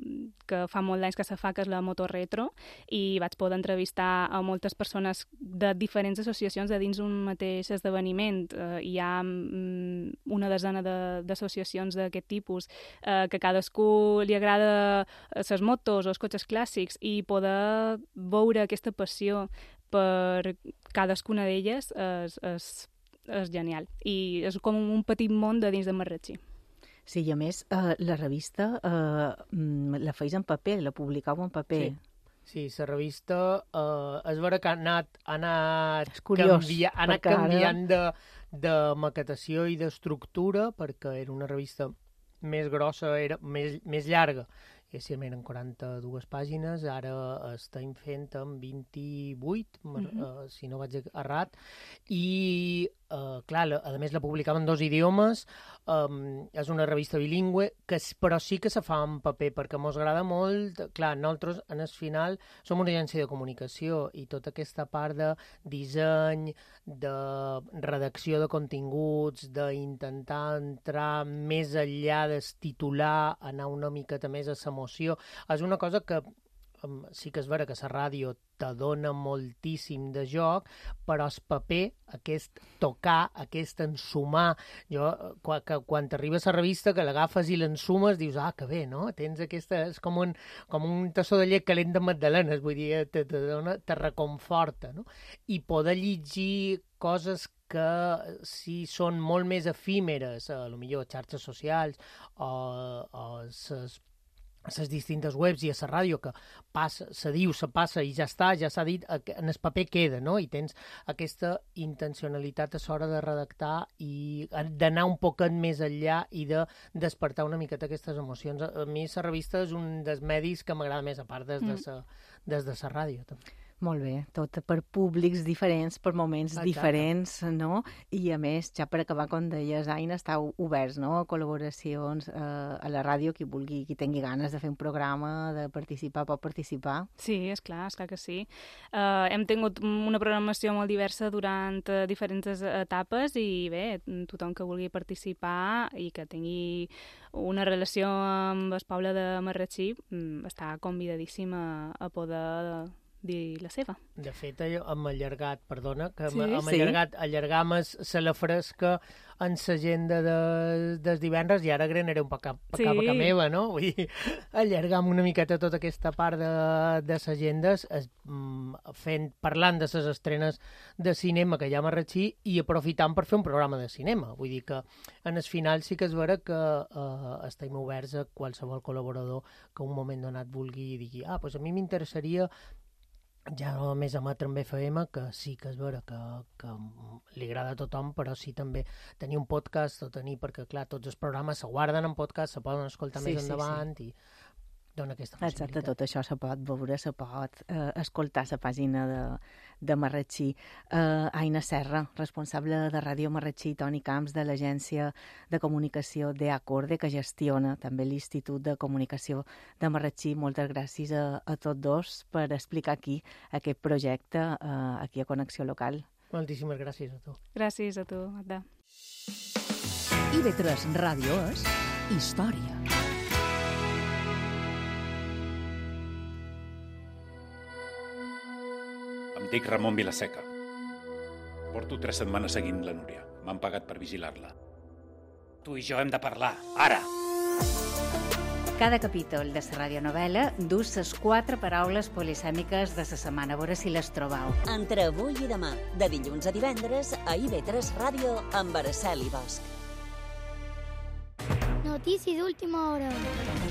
que fa molt d'anys que se fa, que és la Motorretro, i vaig poder entrevistar a moltes persones de diferents associacions de dins un mateix esdeveniment. Uh, hi ha um, una desena d'associacions de, d'aquest tipus uh, que a cadascú li agrada les motos o els cotxes clàssics, i poder veure aquesta passió per cadascuna d'elles és, és és genial. I és com un petit món de dins de Marratxí. Sí, i a més, eh, la revista eh, la feis en paper, la publicau en paper. Sí. Sí, la revista eh, és vera que ha anat, ha anat, curiós, canvia, ha anat canviant de, de maquetació i d'estructura, perquè era una revista més grossa, era més, més llarga. I si eren quaranta-dues pàgines, ara estem fent amb vint-i-vuit, mm-hmm. uh, si no vaig errat, i, uh, clar, la, a més la publicava en dos idiomes, um, és una revista bilingüe, que, però sí que se fa en paper, perquè mos agrada molt, clar, nosaltres, en el final, som una agència de comunicació, i tota aquesta part de disseny, de redacció de continguts, d'intentar entrar més enllà del titular, anar una miqueta més a la emoció, és una cosa que um, sí que és vera que la ràdio te dona moltíssim de joc, però el paper, aquest tocar, aquest ensumar, jo, quan, que, quan t'arribes a la revista, que l'agafes i l'ensumes, dius, ah, que bé, no? Tens aquesta, és com un, com un tassó de llet calent de magdalenes, vull dir, te, te, dona, te reconforta, no? I poder llegir coses que si són molt més efímeres, a lo millor xarxes socials o, o ses a les distintes webs i a la ràdio, que passa, se diu, se passa i ja està, ja s'ha dit, en el paper queda, no? I tens aquesta intencionalitat a l'hora de redactar i d'anar un poquet més enllà i de despertar una miqueta aquestes emocions. A mi la revista és un dels medis que m'agrada més, a part des de la des de la ràdio, també. Molt bé, tot per públics diferents, per moments Exacte. diferents, no? I a més, ja per acabar, com deies, Aina, estàu oberts, no?, a col·laboracions eh, a la ràdio, qui vulgui, qui tingui ganes de fer un programa, de participar, pot participar. Sí, és clar, és clar que sí. Uh, hem tingut una programació molt diversa durant uh, diferents etapes i bé, tothom que vulgui participar i que tingui una relació amb el poble de Marratxí um, està convidadíssim a, a poder dir la seva. De fet, hem allargat, perdona, que sí, hem sí. allargat, allargam se la fresca en l'agenda de, dels divendres i ara granaré un poc a, a sí. boca meva, no? Vull dir, allargam una miqueta tota aquesta part de, de les agendes, es, fent, parlant de les estrenes de cinema que hi ha a Marratxí i aprofitant per fer un programa de cinema. Vull dir que en el final sí que és vera que eh, estem oberts a qualsevol col·laborador que un moment donat vulgui i digui, ah, doncs a mi m'interessaria ja no només emetre en F M, que sí que és vera que, que li agrada a tothom, però sí també tenir un podcast o tenir, perquè clar, tots els programes se guarden en podcast, se poden escoltar sí, més sí, endavant sí. i dona aquesta possibilitat. Exacte, tot això se pot veure, se pot eh, escoltar a la pàgina de, de Marratxí. Eh, Aina Serra, responsable de Ràdio Marratxí, Toni Camps, de l'Agència de Comunicació de Acorde, que gestiona també l'Institut de Comunicació de Marratxí. Moltes gràcies a, a tots dos per explicar aquí aquest projecte, eh, aquí a Connexió Local. Moltíssimes gràcies a tu. Gràcies a tu, Magda. I ve tres Ràdio és història. Em dic Ramon Vilaseca. Porto tres setmanes seguint la Núria. M'han pagat per vigilar-la. Tu i jo hem de parlar, ara! Cada capítol de la radionovel·la dus les quatre paraules polisèmiques de la setmana. A veure si les trobau. Entre avui i demà, de dilluns a divendres, a I V tres Ràdio amb Araceli Bosch. Notícies d'última hora.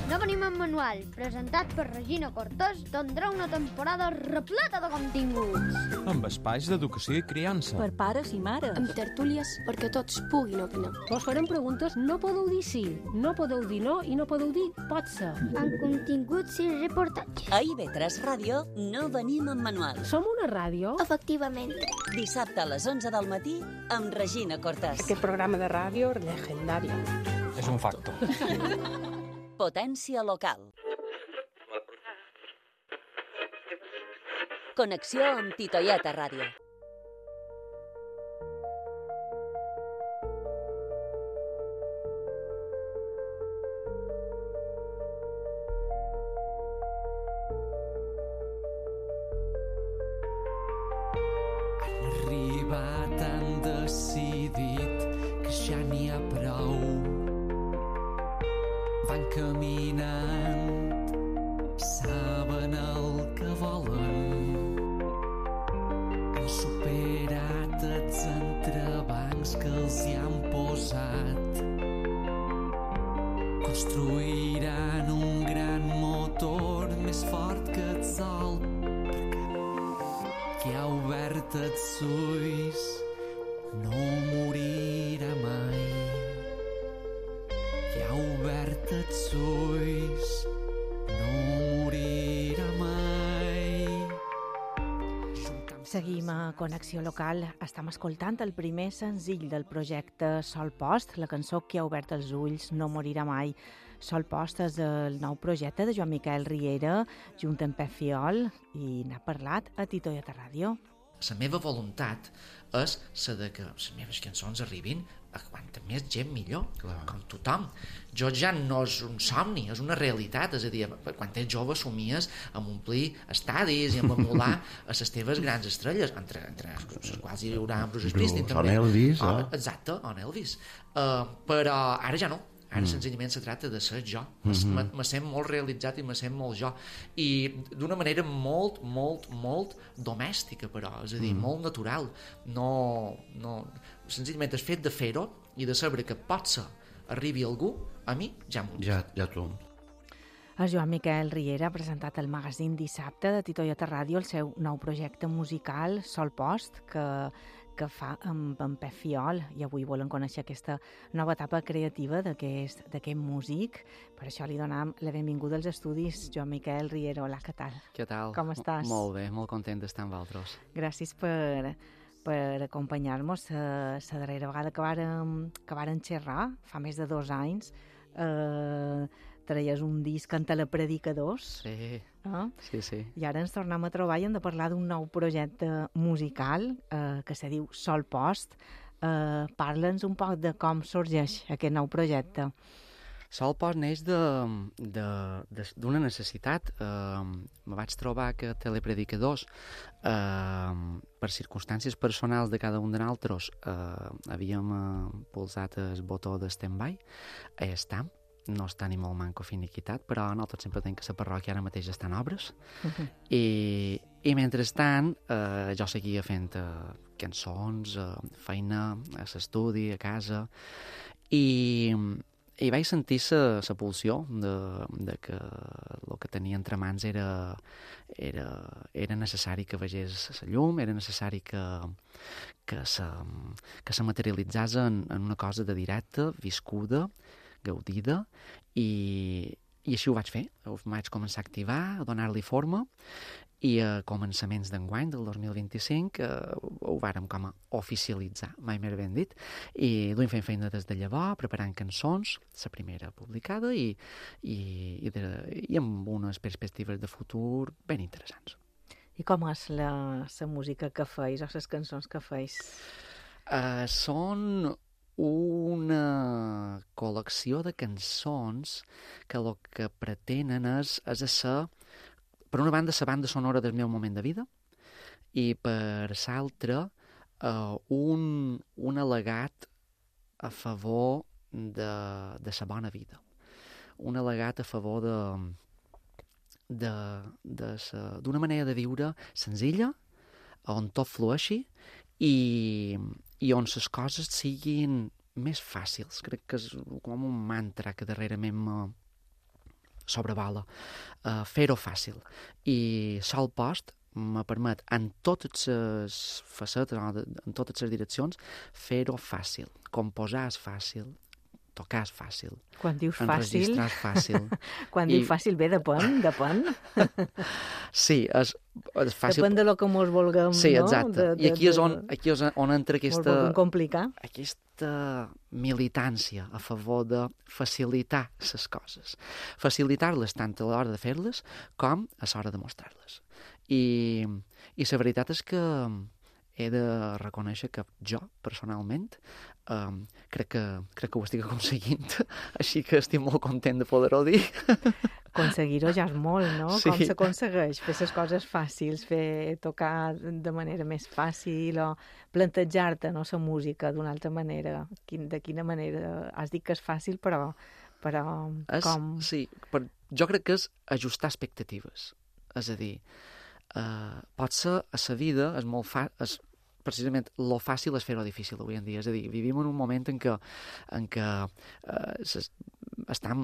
No venim en manual, presentat per Regina Cortés, tindrà una temporada repleta de continguts. Amb espais d'educació i criança. Per pares i mares. Amb tertúlies perquè tots puguin opinar. Vos farem preguntes, no podeu dir sí, no podeu dir no i no podeu dir pot ser. Amb continguts i reportatges. A I V tres Ràdio no venim en manual. Som una ràdio? Efectivament. Dissabte a les onze del matí amb Regina Cortés. Aquest programa de ràdio legendari. És un facto. Potència local. Connexió amb Titoieta Ràdio. Arribat han decidit que ja n'hi ha prou. Van caminant, saben el que volen. Han superat els entrebancs qui ha obert els ulls no morirà mai. Qui ha obert els ulls no morirà mai. Seguim a Connexió Local. Estem escoltant el primer senzill del projecte Sol Post, la cançó Qui ha obert els ulls no morirà mai. Sol Post és el nou projecte de Joan Miquel Riera, junt amb Pep Fiol, i n'ha parlat a Tito i a Ràdio. La meva voluntat és la de que les meves cançons arribin a quanta més gent millor, clar, com tothom. Jo ja no és un somni, és una realitat, és a dir, quan ets jove somies amb omplir estadis i amb emular a les teves grans estrelles, entre, entre les quals hi haurà Bruce Springsteen també. On Elvis, oh, eh? Exacte, on Elvis. Uh, però ara ja no. Ara mm. senzillament se tracta de ser jo. Mm-hmm. Me sent molt realitzat i me sent molt jo. I d'una manera molt, molt, molt domèstica, però. És a dir, mm. molt natural. No, no... Senzillament el fet de fer-ho i de saber que potser arribi algú, a mi ja m'ho ja, ja tu. El Joan Miquel Riera ha presentat el magazín dissabte de Tito i a Ràdio el seu nou projecte musical, Sol Post, que que fa amb, amb Pep Fiol, i avui volen conèixer aquesta nova etapa creativa d'aquest músic. Per això li donem la benvinguda als estudis. Joan Miquel Riera, hola, què tal? Què tal? Com estàs? Molt bé, molt content d'estar amb vosaltres. Gràcies per, per acompanyar-nos. La darrera vegada que vàrem, que vàrem xerrar, fa més de dos anys, eh, traies un disc en Telepredicadors. Sí, eh? sí, sí. I ara ens tornem a trobar i hem de parlar d'un nou projecte musical eh, que se diu Sol Post. Eh, Parla'ns un poc de com sorgeix aquest nou projecte. Sol Post neix d'una necessitat. Eh, me vaig trobar que Telepredicadors, eh, per circumstàncies personals de cada un de nosaltres, eh, havíem eh, pulsat el botó de stand-by. Eh, estam. No està ni molt manco finiquitat, però nosaltres sempre tenim que la parròquia ara mateix està en obres. Uh-huh. I, i mentrestant eh, jo seguia fent eh, cançons, eh, feina a l'estudi, a casa, i, i vaig sentir la pulsió de, de que el que tenia entre mans era, era, era necessari que vegés la llum, era necessari que, que, se, que se materialitzés en, en una cosa de directe, viscuda, gaudida, i, i així ho vaig fer. Ho vaig començar a activar, a donar-li forma, i a començaments d'enguany, del dos mil vint-i-cinc, eh, ho vàrem com a oficialitzar, mai més ben dit, i duim fent feina des de llavors, preparant cançons, la primera publicada, i, i, i, de, i amb unes perspectives de futur ben interessants. I com és la, la música que feis, o les cançons que feis? Uh, són una col·lecció de cançons que el que pretenen és, és ser, per una banda, la banda sonora del meu moment de vida, i per l'altra, uh, un, un al·legat a favor de, de la bona vida. Un al·legat a favor de, de, de sa, d'una manera de viure senzilla, on tot flueixi, i, i on les coses siguin més fàcils. Crec que és com un mantra que darrerament me sobrevala. Uh, fer-ho fàcil. I Sol Post me permet, en totes les facetes, en totes les direccions, fer-ho fàcil. Composar és fàcil, tocar és fàcil. Quan dius fàcil... Enregistrar és fàcil. Quan I... dius fàcil, bé, depèn, depèn. Sí, és, és fàcil. Depèn de lo que mos vulguem, sí, no? exacte. De, de, I aquí és on, aquí és on entra aquesta... Mos vulguem complicar. Aquesta militància a favor de facilitar les coses. Facilitar-les tant a l'hora de fer-les com a l'hora de mostrar-les. I, i la veritat és que he de reconèixer que jo, personalment, um, crec, que, crec que ho estic aconseguint, així que estic molt content de poder-ho dir. Aconseguir-ho ja és molt, no? Sí. Com s'aconsegueix? Fer les coses fàcils, fer tocar de manera més fàcil, o plantejar-te, no, la música d'una altra manera. Quin, de quina manera? Has dit que és fàcil, però, però és, com... Sí, però jo crec que és ajustar expectatives. És a dir, uh, potser a la vida és molt fàcil... Precisament, lo fàcil és fer-ho difícil avui en dia. És a dir, vivim en un moment en què, en què uh, estem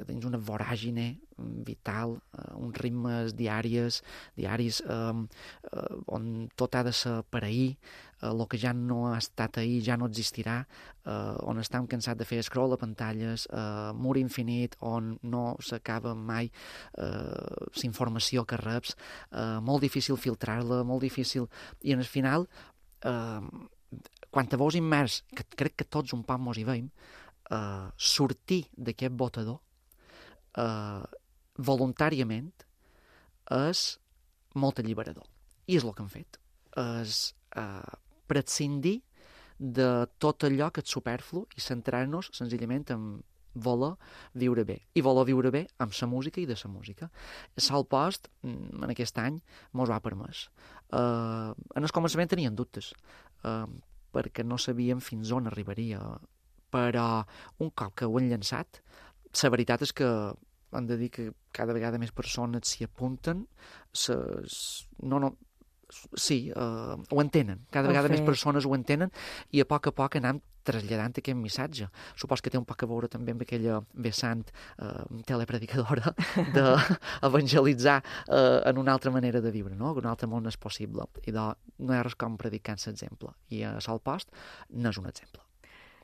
dins una voràgine vital, eh, uns ritmes diaris, diaris eh, eh, on tot ha de ser per ahir, el eh, que ja no ha estat ahir ja no existirà, eh, on estem cansats de fer scroll a pantalles, eh, mur infinit, on no s'acaba mai eh, la informació que reps, eh, molt difícil filtrar-la, molt difícil, i en el final, eh, quan te veus immers, que crec que tots un poc mos hi veiem, eh, sortir d'aquest botador eh, voluntàriament és molt alliberador. I és el que hem fet. És eh, prescindir de tot allò que és superflu i centrar-nos senzillament en voler viure bé. I voler viure bé amb la música i de la música. Sol Post, en aquest any, mos ho ha permès. Eh, en el començament tenien dubtes, eh, perquè no sabíem fins on arribaria. Però un cop que ho han llançat, la veritat és que hem de dir que cada vegada més persones s'hi apunten, ses... no, no, sí, uh, ho entenen, cada vegada més persones ho entenen, i a poc a poc anem traslladant aquest missatge. Supos que té un poc a veure també amb aquella vessant uh, telepredicadora d'evangelitzar uh, en una altra manera de viure, no? Que un altre món és possible. I de, no hi ha res com predicar l'exemple. I a Sol Post n'és un exemple.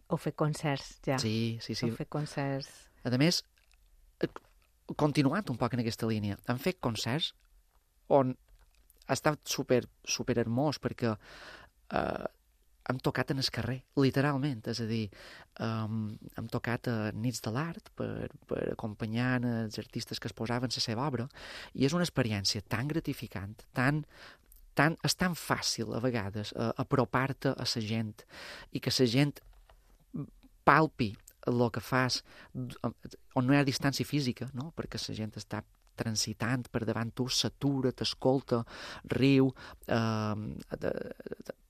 Heu fet concerts, ja. Sí, sí, sí. Heu fet concerts. A més, continuant un poc en aquesta línia, hem fet concerts on ha estat super, super hermós, perquè eh, hem tocat en el carrer, literalment, és a dir, um, hem tocat a Nits de l'Art per, per acompanyar els artistes que es posaven la seva obra, i és una experiència tan gratificant, tan, tan, és tan fàcil a vegades uh, apropar-te a la gent, i que la gent palpi el que fas, on no hi ha distància física, no? Perquè la gent està transitant per davant tu, s'atura, t'escolta, riu, eh,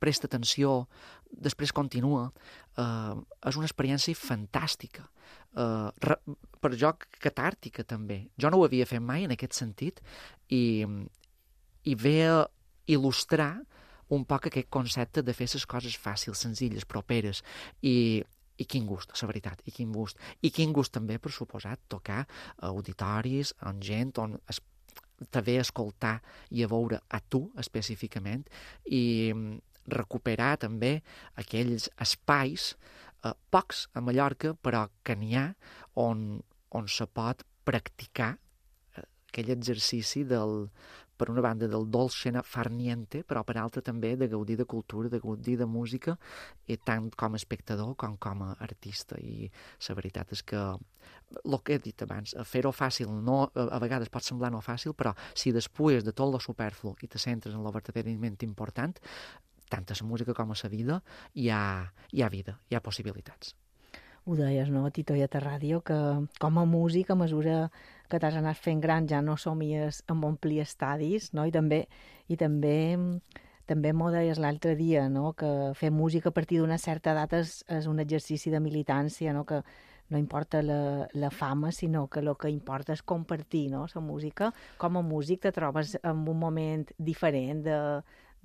presta atenció, després continua. Eh, és una experiència fantàstica. Eh, per jo, catàrtica, també. Jo no ho havia fet mai en aquest sentit, i, i ve a il·lustrar un poc aquest concepte de fer les coses fàcils, senzilles, properes, i I quin gust, la veritat, i quin gust. I quin gust també, per suposat, tocar a auditoris, on gent, on es, te ve a escoltar i a veure a tu específicament, i recuperar també aquells espais, eh, pocs a Mallorca, però que n'hi ha, on, on se pot practicar eh, aquell exercici del, per una banda, del dolce far niente, però per altra també de gaudir de cultura, de gaudir de música, i tant com a espectador com com a artista. I la veritat és que, el que he dit abans, fer-ho fàcil, no, a vegades pot semblar no fàcil, però si després de tot lo superflu i te centres en lo verdaderament important, tant a la música com a la vida, hi ha, hi ha vida, hi ha possibilitats. Ho deies, no, Tito i a Ràdio, que com a músic, a mesura que t'has anat fent gran, ja no somies amb omplir estadis, no? I també, i també, també m'ho deies l'altre dia, no? Que fer música a partir d'una certa edat és, és un exercici de militància, no? Que no importa la, la fama, sinó que el que importa és compartir, no? La música. Com a músic te trobes en un moment diferent de...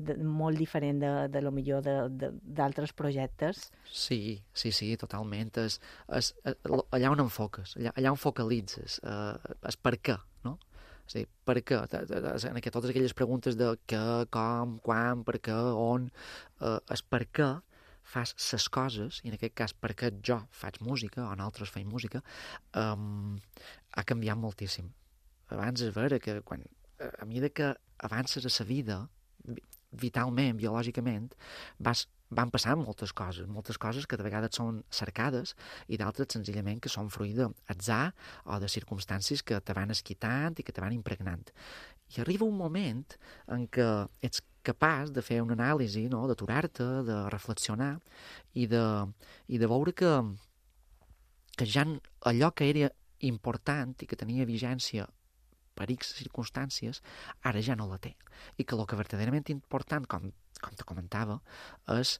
De, molt diferent de, de lo millor d'altres projectes. Sí, sí, sí, totalment. És, és, allà on enfoques, allà, allà on focalitzes, eh, és per què, no? És a dir, per què? En aquest, totes aquelles preguntes de què, com, quan, per què, on, eh, és per què fas ses coses, i en aquest cas per què jo faig música, o nosaltres feim música, um, ha canviat moltíssim. Abans és vera que quan, a mesura que avances a la vida, vitalment, biològicament, vas, van passant moltes coses, moltes coses que de vegades són cercades i d'altres senzillament que són fruit d'atzar o de circumstàncies que te van esquitant i que te van impregnant. I arriba un moment en què ets capaç de fer una anàlisi, no? D'aturar-te, de reflexionar i de, i de veure que, que ja allò que era important i que tenia vigència per X circumstàncies, ara ja no la té. I que el que verdaderament important, com, com te comentava, és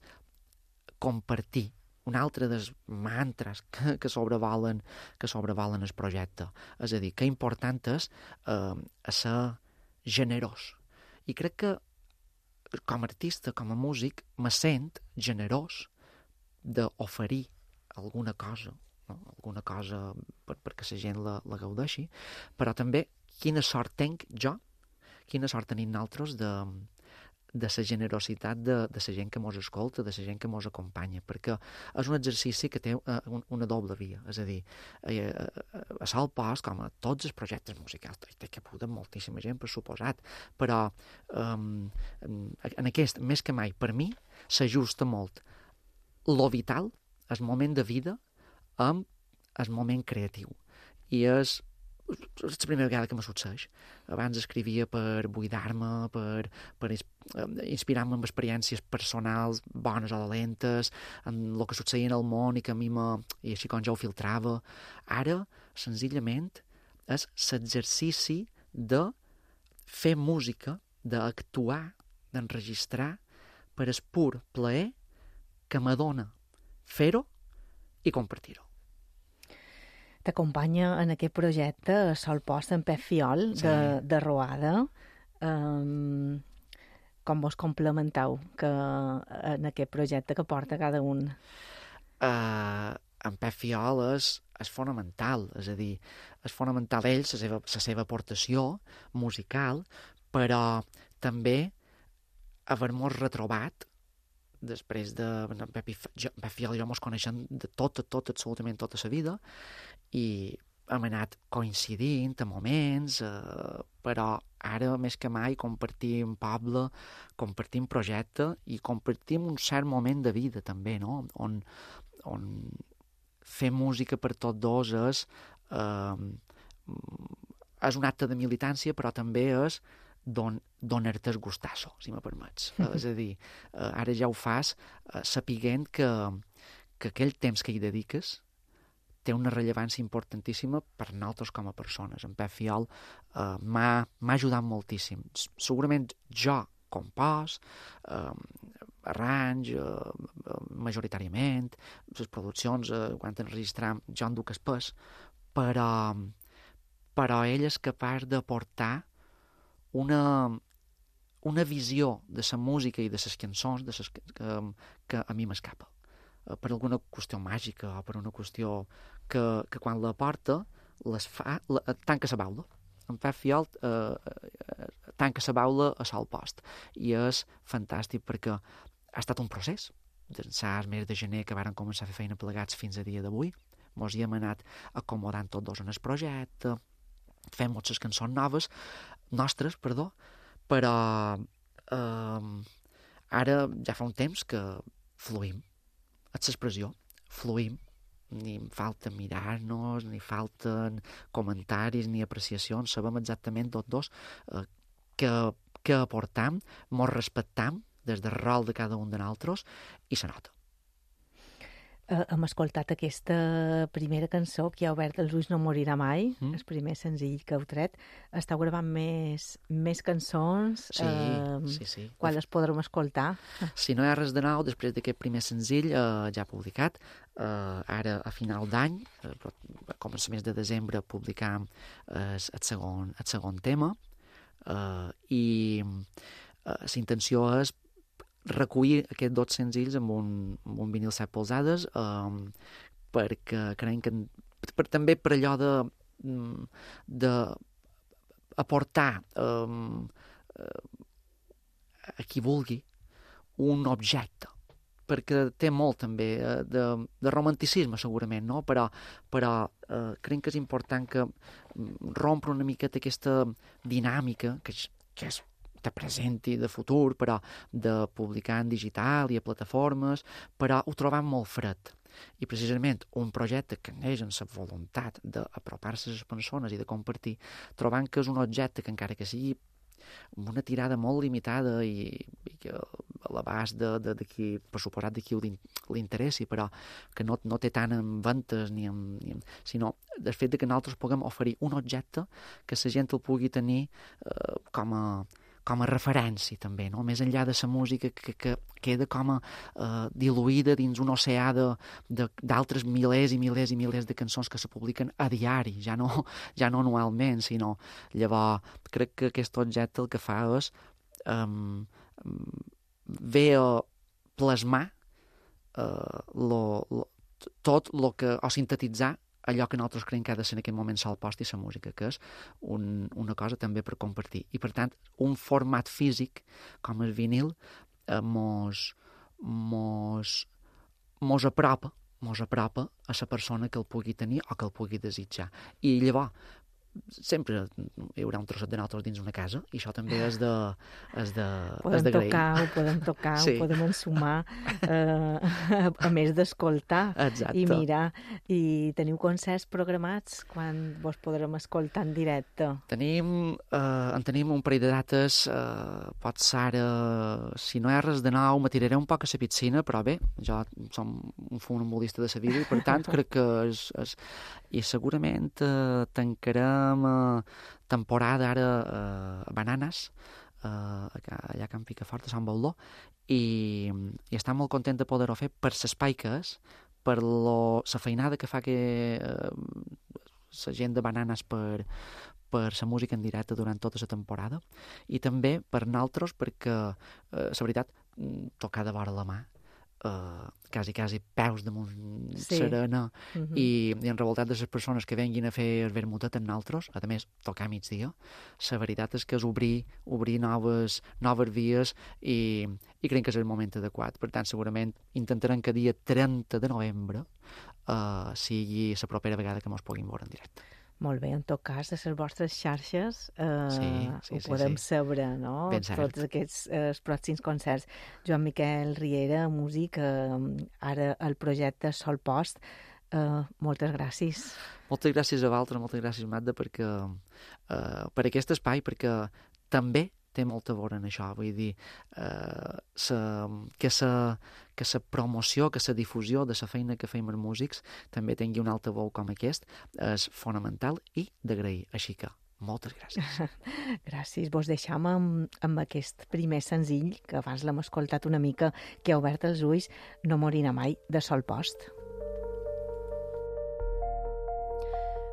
compartir un altre dels mantres que, que sobrevolen que sobrevolen el projecte. És a dir, que important és eh, ser generós. I crec que com a artista, com a músic, me sent generós d'oferir alguna cosa, no? Alguna cosa per, perquè la gent la, la gaudeixi, però també quina sort tenc jo, quina sort tenim nosaltres de, de la generositat de, de la gent que mos escolta, de la gent que mos acompanya, perquè és un exercici que té uh, una doble via, és a dir, eh, a Sol Post, com a tots els projectes musicals, té que apuntar moltíssima gent, per suposat, però um, en aquest, més que mai, per mi, s'ajusta molt lo vital, el moment de vida, amb el moment creatiu. I és és la primera vegada que me succeeix. Abans escrivia per buidar-me, per, per inspirar-me en experiències personals, bones o dolentes, en el que succeïa en el món i que a mi me... i així com jo ho filtrava. Ara, senzillament, és l'exercici de fer música, d'actuar, d'enregistrar, per el pur plaer que m'adona fer-ho i compartir-ho. T'acompanya en aquest projecte Sol Post en Pep Fiol, sí. de, de Roada. Um, com vos complementeu que, en aquest projecte que porta cada un? Uh, en Pep Fiol és, és fonamental, és a dir, és fonamental ell, la seva, la seva aportació musical, però també haver-nos retrobat després de Pep Fiol i jo mos coneixem de tot, tot, absolutament tota la vida, i hem anat coincidint a moments, eh, però ara més que mai compartim poble, compartim projecte i compartim un cert moment de vida també, no? On, on fer música per tots dos és, eh, és un acte de militància, però també és don, donar-te el gustasso, si me permets. Uh, és a dir, uh, ara ja ho fas uh, sapiguent que, que aquell temps que hi dediques té una rellevància importantíssima per nosaltres com a persones. En Pep Fiol uh, m'ha ajudat moltíssim. Segurament jo compòs, uh, arranj, uh, majoritàriament, les produccions, uh, quan enregistram, jo en duc el pes, però, però ell és capaç d'aportar una, una visió de la música i de les cançons de ses, que, que a mi m'escapa. Per alguna qüestió màgica o per una qüestió que, que quan la porta les fa, la, tanca la baula. En Pep Fiol eh, tanca la baula a Sol Post i és fantàstic perquè ha estat un procés d'ençà el mes de gener que varen començar a fer feina plegats fins a dia d'avui. Mos hi hem anat acomodant tots dos en el projecte, fem moltes cançons noves nostres, perdó, però eh, ara ja fa un temps que fluïm. És l'expressió, fluïm, ni falta mirar-nos, ni falten comentaris ni apreciacions, sabem exactament tots dos eh, que, que aportam, mos respectam des del rol de cada un de nosaltres i se nota. Uh, hem escoltat aquesta primera cançó que ha obert Els ulls no morirà mai, mm. el primer senzill que heu tret. Esteu gravant més, més cançons? Sí, uh, sí, sí. Quan les podrem escoltar? Si no hi ha res de nou, després d'aquest primer senzill uh, ja publicat, uh, ara a final d'any, uh, a començaments de desembre, publicam uh, el, segon, el segon tema, uh, i uh, la intenció és recollir aquests dos senzills amb un, amb un vinil set polzades um, perquè creiem que per, també per allò de, de aportar um, a qui vulgui un objecte, perquè té molt també de, de romanticisme segurament, no? Però, però uh, creiem que és important que rompre una miqueta aquesta dinàmica que, que és de present i de futur, però de publicar en digital i a plataformes, però ho trobam molt fred. I precisament un projecte que neix amb la voluntat d'apropar-se a les persones i de compartir, trobant que és un objecte que encara que sigui amb una tirada molt limitada i, i que a l'abast de, de, de qui, per suposat de qui li interessi, però que no, no té tant en ventes ni en, ni en, sinó el fet de que nosaltres puguem oferir un objecte que la gent el pugui tenir eh, com a com a referència també, no? Més enllà de la música que, que queda com a uh, diluïda dins un oceà d'altres milers i milers i milers de cançons que se publiquen a diari, ja no, ja no anualment, sinó llavors crec que aquest objecte el que fa és um, ve a plasmar uh, lo, lo, tot el que, o sintetitzar allò que nosaltres creiem que ha de ser en aquest moment sol post i la música, que és un, una cosa també per compartir. I, per tant, un format físic, com el vinil, eh, mos, mos, mos apropa, mos apropa a la persona que el pugui tenir o que el pugui desitjar. I llavors, sempre hi haurà un trosset de nosaltres dins una casa i això també és de és de podem és de tocar, ho podem tocar, sí. ho podem ensumar eh, a, a més d'escoltar i mirar. I teniu concerts programats quan vos podrem escoltar en directe? Tenim eh, en tenim un parell de dates, eh, pot ser ara, si no hi ha res de nou me tiraré un poc a la piscina, però bé, jo som un funambulista de la vida i per tant crec que és, és i segurament eh, tancarem eh, temporada ara eh, a Bananes, eh, allà a Can Picafort, a Sant Baldó, i, i estic molt content de poder-ho fer per l'espai que és, per la feinada que fa que eh, la gent de Bananes per, per la música en directe durant tota la temporada, i també per nosaltres, perquè, eh, la veritat, tocar de vora la mà, Uh, quasi, quasi peus damunt sí. serena uh-huh. i, i en revoltat de les persones que venguin a fer el vermutet en nosaltres, a més, tocar a migdia, la veritat és que és obrir, obrir noves, noves vies i, i crec que és el moment adequat. Per tant, segurament intentarem que dia trenta de novembre uh, sigui la propera vegada que ens puguin veure en directe. Molt bé, en tot cas, de les vostres xarxes eh, sí, sí, ho sí, podem sí. saber, no? Tots aquests eh, pròxims concerts. Joan Miquel Riera, músic, eh, ara el projecte Sol Post. Eh, moltes gràcies. Moltes gràcies a vosaltres, moltes gràcies, Magda, perquè, eh, per aquest espai, perquè també té molta a veure en això, vull dir, eh, sa, que la que sa promoció, que la difusió de la feina que feim els músics també tingui un altaveu com aquest és fonamental i d'agrair. Així que, moltes gràcies. Gràcies. Vos deixam amb, amb aquest primer senzill, que abans l'hem escoltat una mica, que ha obert els ulls, No morirà mai, de Sol Post.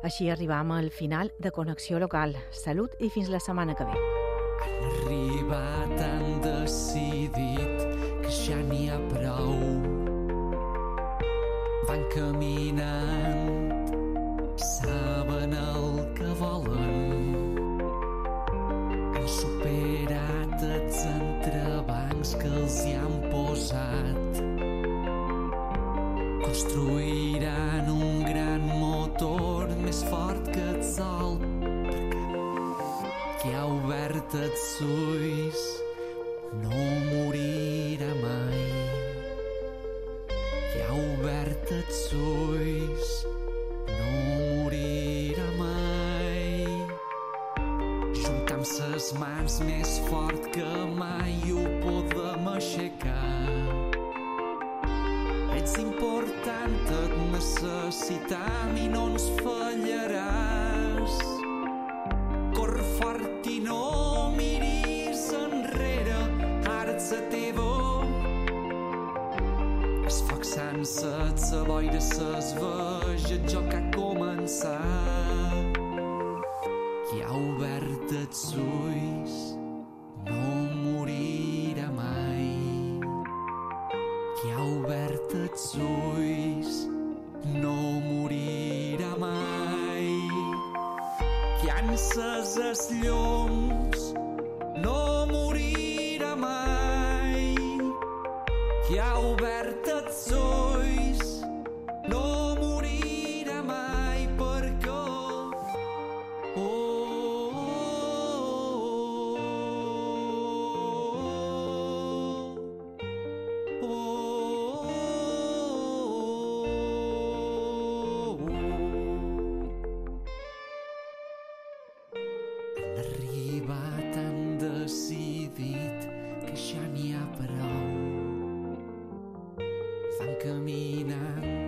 Així arribam al final de Connexió Local. Salut i fins la setmana que ve. Han arribat, han decidit que ja n'hi ha prou. Van caminant, saben el que volen. Han superat els entrebancs que els hi han posat. Construiran un gran motor més fort que el sol, que ha obert els ulls, no morirà mai. Que ha obert els ulls, no morirà mai. Juntam ses mans més fort que mai ho podem aixecar. Ets important, et necessitam i no ens fallaràs. Corre fort i no miris enrere, ara ets a teva. El foc s'ha encès, la boira s'esveja, el joc ha començat. Qui ha obert els ulls no morirà mai. Qui ha obert els ulls no morirà mai. Qui ha encès els llums no morirà mai. Qui ha obert els ulls no morirà mai, perquè oh, oh, oh, oh, oh. Han arribat, han decidit que ja n'hi ha prou. Van caminant,